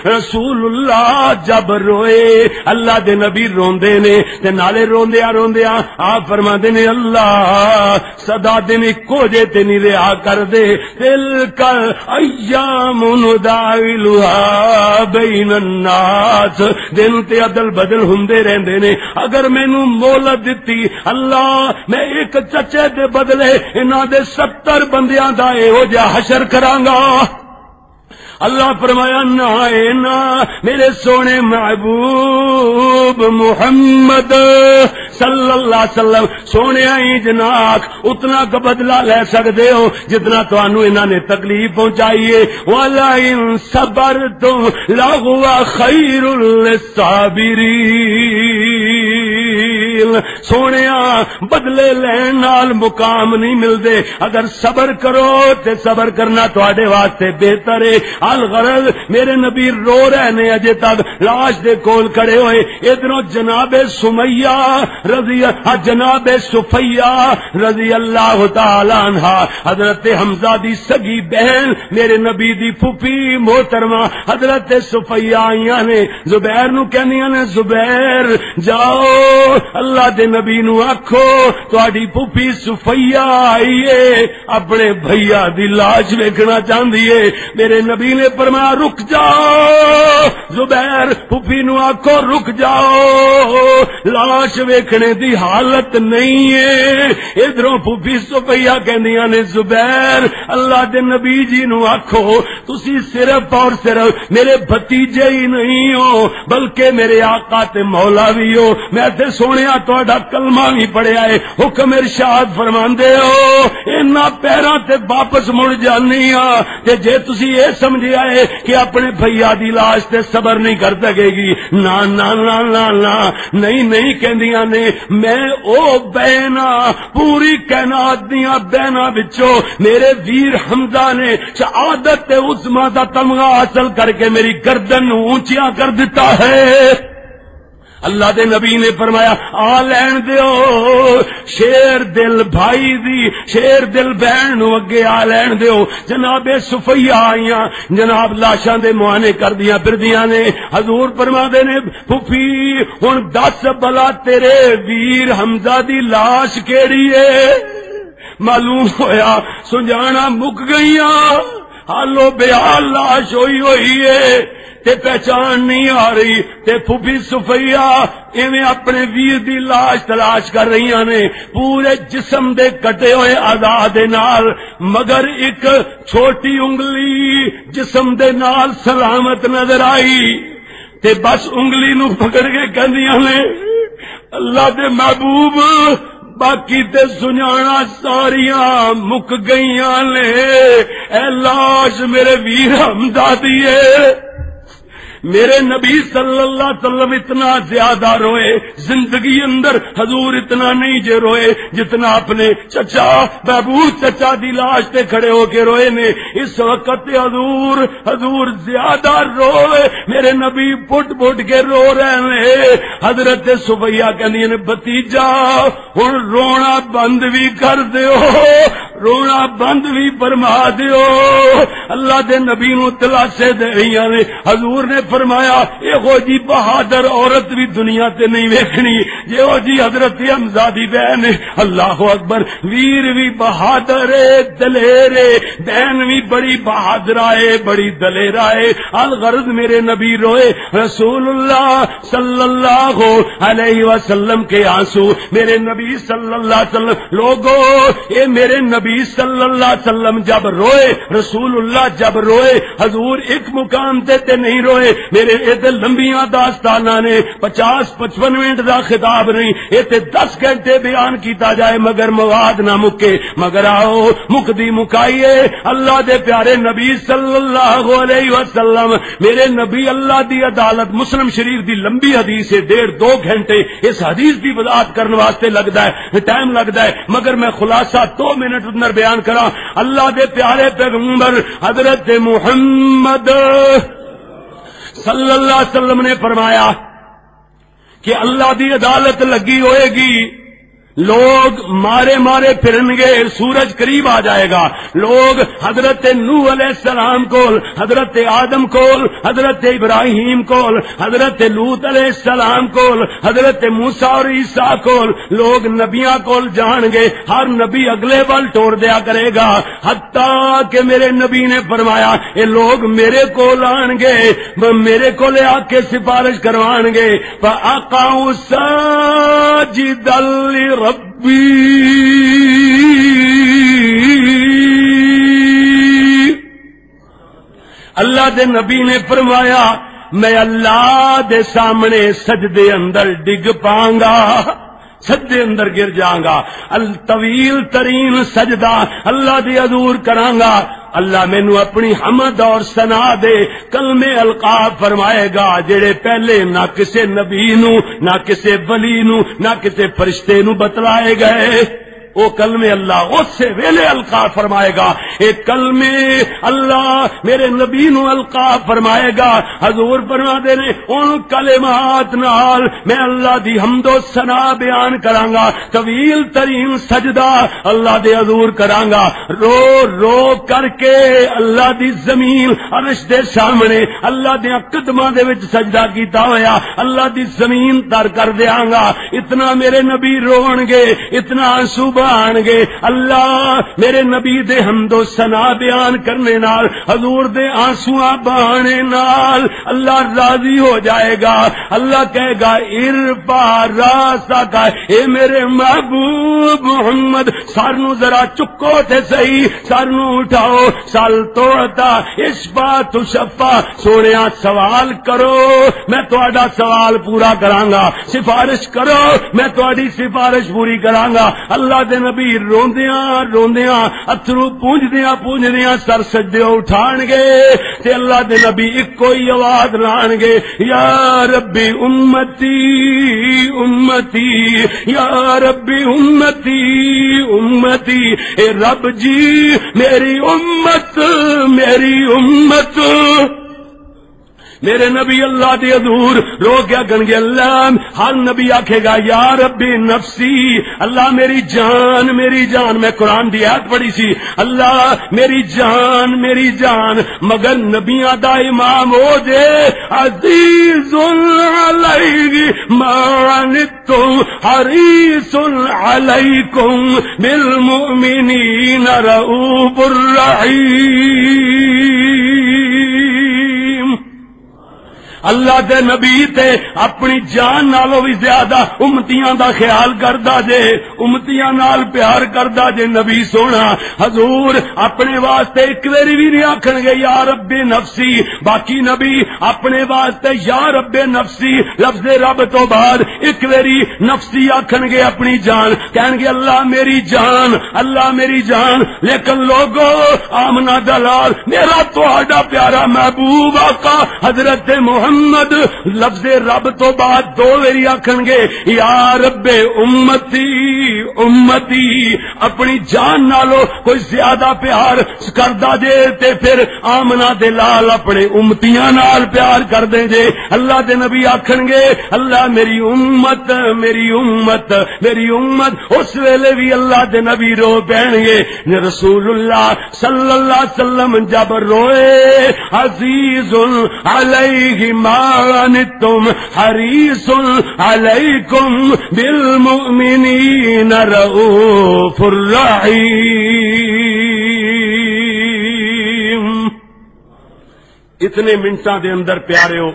رسول اللہ جب روئے، اللہ دے نبی روندے نے۔ تے نالے روندیاں روندیاں آپ فرماندے نے، اللہ سدا دن اکو جے تے نہیں رہا کر دے۔ تلک ایام نداولها بین الناس، دن تے عدل بدل ہوندے رہندے نے۔ اگر مینوں مہلت دتی اللہ، میں ایک چچے دے بدلے انہاں دے ستر بندیاں دا ایہو جہا حشر کراں گا۔ اللہ فرمایا، نہ اے نہ، میرے سونے محبوب محمد صلی اللہ علیہ وسلم، سونے ہی جناک اتنا کا بدلہ لے سکتے ہو جتنا تانوں انہاں نے تکلیف پہنچائی ہے۔ وَلَئِن صَبَرْتُمْ لَهُوَ خَيْرٌ لِّلصَّابِرِينَ۔ سونیا، بدلے لین نال مقام نہیں ملدے۔ اگر صبر کرو تے صبر کرنا تواڈے واسطے بہتر ہے۔ الغرض، میرے نبی رو رہے نے اجے تک لاش دے کول کھڑے ہوئے۔ ادھروں جناب سمیہ رضی، ہاں، جناب صفیہ رضی اللہ تعالی عنہا، حضرت حمزہ دی سگی بہن، میرے نبی دی پھوپھی محترمہ حضرت صفیہ آئیاں نے۔ زبیر نو کہندیاں نے، زبیر، جاؤ، اللہ دے نبی نو آکھو، تہاڈی پھوپھی صفیہ آئی ہے، اپنے بھیا دی لاش ویکھنا چاہندی ہے۔ میرے نبی نے فرمایا، رک جاؤ، زبیر، پھوپھی نو آکھو، رک جاؤ، لاش ویکھنے دی حالت نہیں ہے۔ ادھروں پھوپھی صفیہ کہندیاں نے، زبیر، اللہ دے نبی جی نو آکھو، تسی صرف اور صرف میرے بھتیجے ہی نہیں ہو، بلکہ میرے آقا تے مولا بھی ہو۔ میں تے سنیا تہاڈا کلمہ بھی پڑھیا ہے، حکم ارشاد فرماندے ہو، انہاں پیراں تے واپس مڑ جانی ہاں۔ تے جے تسی اے سمجھیا ہے کہ اپنے بھیا دی لاش تے صبر نہیں کر سکے گی، نہ، نہ، نہ، نہ، نہ، نہیں، نہیں کہندیاں نے۔ میں او بہن آں، پوری کائنات دیاں بہناں وچوں میرے ویر حمزہ نے شہادت عظمیٰ دا تمغہ حاصل کر کے میری گردن نوں اونچیاں کر دتا ہے۔ اللہ دے نبی نے فرمایا، آ لین دیو، شیر دل بھائی دی، شیر دل بہن نوں اگے آ لین دیو۔ جناب صفیہ آئیاں، جناب لاشاں دے معائنے کردیاں پھردیاں نے۔ حضور فرما دے نے، پھپھی، ہن دس بلا تیرے ویر حمزہ دی لاش کیڑی ہے؟ معلوم ہویا سنجانا مک گئیاں، حالو بے حال لاش ہوئی ہوئی ہے تے پہچان نہیں آ رہی۔ تے پھپھی صفیہ ایویں اپنے ویر دی لاش تلاش کر رہیاں نے، پورے جسم دے کٹے ہوئے اعضاء دے نال، مگر ایک چھوٹی انگلی جسم دے نال سلامت نظر آئی۔ تے بس انگلی نو پکڑ کے کہندیاں نے، اللہ دے محبوب، باقی تے سنجانا ساریاں مک گئیاں نے۔ اے لاش میرے ویر حمزہ دی ہے۔ میرے نبی صلی اللہ علیہ وسلم اتنا زیادہ روئے، زندگی اندر حضور اتنا نہیں جے روئے جتنا اپنے چچا، محبوب چچا دی لاش تے کھڑے ہو کے روئے نے۔ اس وقت تے حضور، حضور زیادہ روئے، میرے نبی پٹ پٹ کے رو رہے نے۔ حضرت صفیہ کہندی نے، بھتیجا، ہن رونا بند بھی کر دیو، رونا بند بھی فرما دیو۔ اللہ دے نبی نو دلاسے دے رہیاں نے۔ حضور نے فرمایا، یہو جی بہادر عورت بھی دنیا تے نہیں ویکھنی، جہو جی حضرت حمزہ دی بہن ہے۔ اللہ اکبر، ویر بھی بہادر ہے، دلیر ہے، بہن بھی بڑی بہادر ہے، بڑی دلیر ہے۔ الغرض میرے نبی روئے، رسول اللہ صلی اللہ علیہ وسلم کے آنسو، میرے نبی صلی اللہ علیہ وسلم، لوگو، اے میرے نبی صلی اللہ علیہ وسلم جب روئے، رسول اللہ جب روئے، حضور ایک مقام تے تے نہیں روئے۔ میرے اے تے لمبیاں داستاناں نے، پچاس پچپن منٹ دا خطاب نہیں، اے تے دس گھنٹے بیان کیتا جائے مگر مواد نہ مکے۔ مگر آؤ، مکدی مکائیے، اللہ دے پیارے نبی صلی اللہ علیہ وسلم، میرے نبی، اللہ دی عدالت۔ مسلم شریف دی لمبی حدیث ہے، ڈیڑھ دو گھنٹے اس حدیث دی وضاحت کرن واسطے لگدا ہے، ٹائم لگدا ہے، مگر میں خلاصہ دو منٹ اندر بیان کراں۔ اللہ دے پیارے پیغمبر حضرت محمد صلی اللہ علیہ وسلم نے فرمایا، کہ اللہ دی عدالت لگی ہوئے گی۔ لوگ مارے مارے پھرن گے، سورج قریب آ جائے گا۔ لوگ حضرت نوح علیہ السلام کول، حضرت آدم کول، حضرت ابراہیم کول، حضرت لوط علیہ السلام کول، حضرت موسیٰ اور عیسیٰ کول، لوگ نبیاں کول جان گے۔ ہر نبی اگلے ول ٹور دیا کرے گا، حتیٰ کہ میرے نبی نے فرمایا، اے لوگ میرے کول آن گے، میرے کول آ کے سفارش کروان گے۔ فَأَقَعُوا سَاجِدًا لِرَبِّي۔ اللہ دے نبی نے فرمایا، میں اللہ دے سامنے سجدے اندر ڈگ پاؤں گا، سجدے اندر گر جاؤں گا، الطویل ترین سجدہ اللہ دے حضور کراں گا۔ اللہ مینوں اپنی حمد اور ثنا دے کلمے القا فرمائے گا، جڑے پہلے نہ کسے نبی نو، نہ کسے ولی نو، نہ کسے فرشتے نو بتلائے گئے۔ او کلمے اللہ اس ویلے القا فرمائے گا۔ اے کلمے اللہ میرے نبی نو القا فرمائے گا۔ حضور فرما دے نے، ان کلمات نال میں اللہ دی حمد و ثنا بیان کراں گا۔ طویل ترین سجدہ اللہ دے حضور کراں گا۔ رو رو کر کے اللہ دی زمین عرش دے سامنے اللہ دے قدماں دے وچ سجدہ کیتا ہویا، اللہ دی زمین تر کر دیاں گا۔ اتنا میرے نبی رون گے، اتنا آنسو بہان گے۔ اللہ میرے نبی دے حمد و ثنا بیان کرنے نال، حضور دے آنسواں بہانے نال اللہ راضی ہو جائے گا۔ اللہ کہے گا، "ارفع راسک"، اے میرے محبوب محمد، سر نو ذرا چکو تے صحیح، سر نو اٹھاؤ۔ "سل تعطا، اشفع تشفع"، سونیا سوال کرو، میں تہاڈا سوال پورا کراں گا، سفارش کرو، میں تہاڈی سفارش پوری کراں گا۔ اللہ دے نبی روندیاں روندیاں، اتھرو پونجدیاں پونجدیاں سر سجدے اٹھان گے تے اللہ دے نبی اکو ہی آواز لان گے، یا ربی امتی، امتی، یا ربی امتی، امتی، اے رب جی، میری امت، میری امت۔ میرے نبی اللہ دے حضور رو کے آکھن گے، اللہ، ہر نبی آکھے گا، یا ربی نفسی، اللہ میری جان، میری جان۔ میں قرآن دی آیت پڑھی سی، اللہ میری جان، میری جان۔ مگر نبیاں دا امام او جے، عزیز علیہ ما عنتم، حریص علیکم بالمؤمنین رؤوف الرحیم۔ اللہ دے نبی تے اپنی جان نالوں بھی زیادہ امتیاں دا خیال کردا جے، امتیاں نال پیار کردا جے۔ نبی سونا حضور اپنے واسطے ایک ویری بھی نہیں آکھن گے، یا رب نفسی۔ باقی نبی اپنے واسطے یا رب نفسی، لفظ رب تو بعد ایک ویری نفسی آکھن گے، اپنی جان۔ کہن گے، اللہ میری جان، اللہ میری جان۔ لیکن لوگو، آمنہ دا لال، میرا تہاڈا پیارا محبوب آقا حضرت محمد لفظ رب تو بعد دو ویری آکھن گے، یا رب امتی، امتی۔ اپنی جان نالو کوئی زیادہ پیار کردا جے تے پھر آمنہ دے لال اپنے امتیاں نال پیار کر دیں جے۔ اللہ دے نبی آکھن گے، اللہ میری امت، میری امت، میری امت۔ اس ویلے بھی اللہ دے نبی رو پین گے۔ رسول اللہ صلی اللہ علیہ وسلم جب روئے، عزیز علیہ ما عنتم، حریص علیکم بالمؤمنین رؤوف الرحیم۔ اتنے منٹاں دے اندر پیاریو،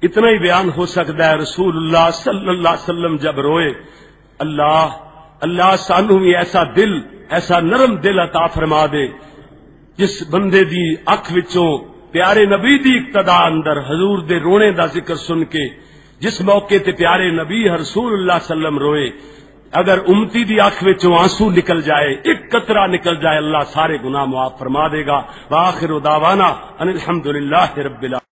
اتنا ہی بیان ہو سکتا ہے۔ رسول اللہ صلی اللہ علیہ وسلم جب روئے، اللہ، اللہ سانو بھی ایسا دل، ایسا نرم دل عطا فرما دے، جس بندے دی اکھ وچوں پیارے نبی دی اقتدا اندر حضور دے رونے دا ذکر سن کے، جس موقع تے پیارے نبی رسول اللہ صلی اللہ علیہ وسلم روئے، اگر امتی دی اکھ وچوں آنسو نکل جائے، ایک قطرہ نکل جائے، اللہ سارے گناہ معاف فرما دے گا۔ وآخر دعوانا ان الحمدللہ رب العالمین۔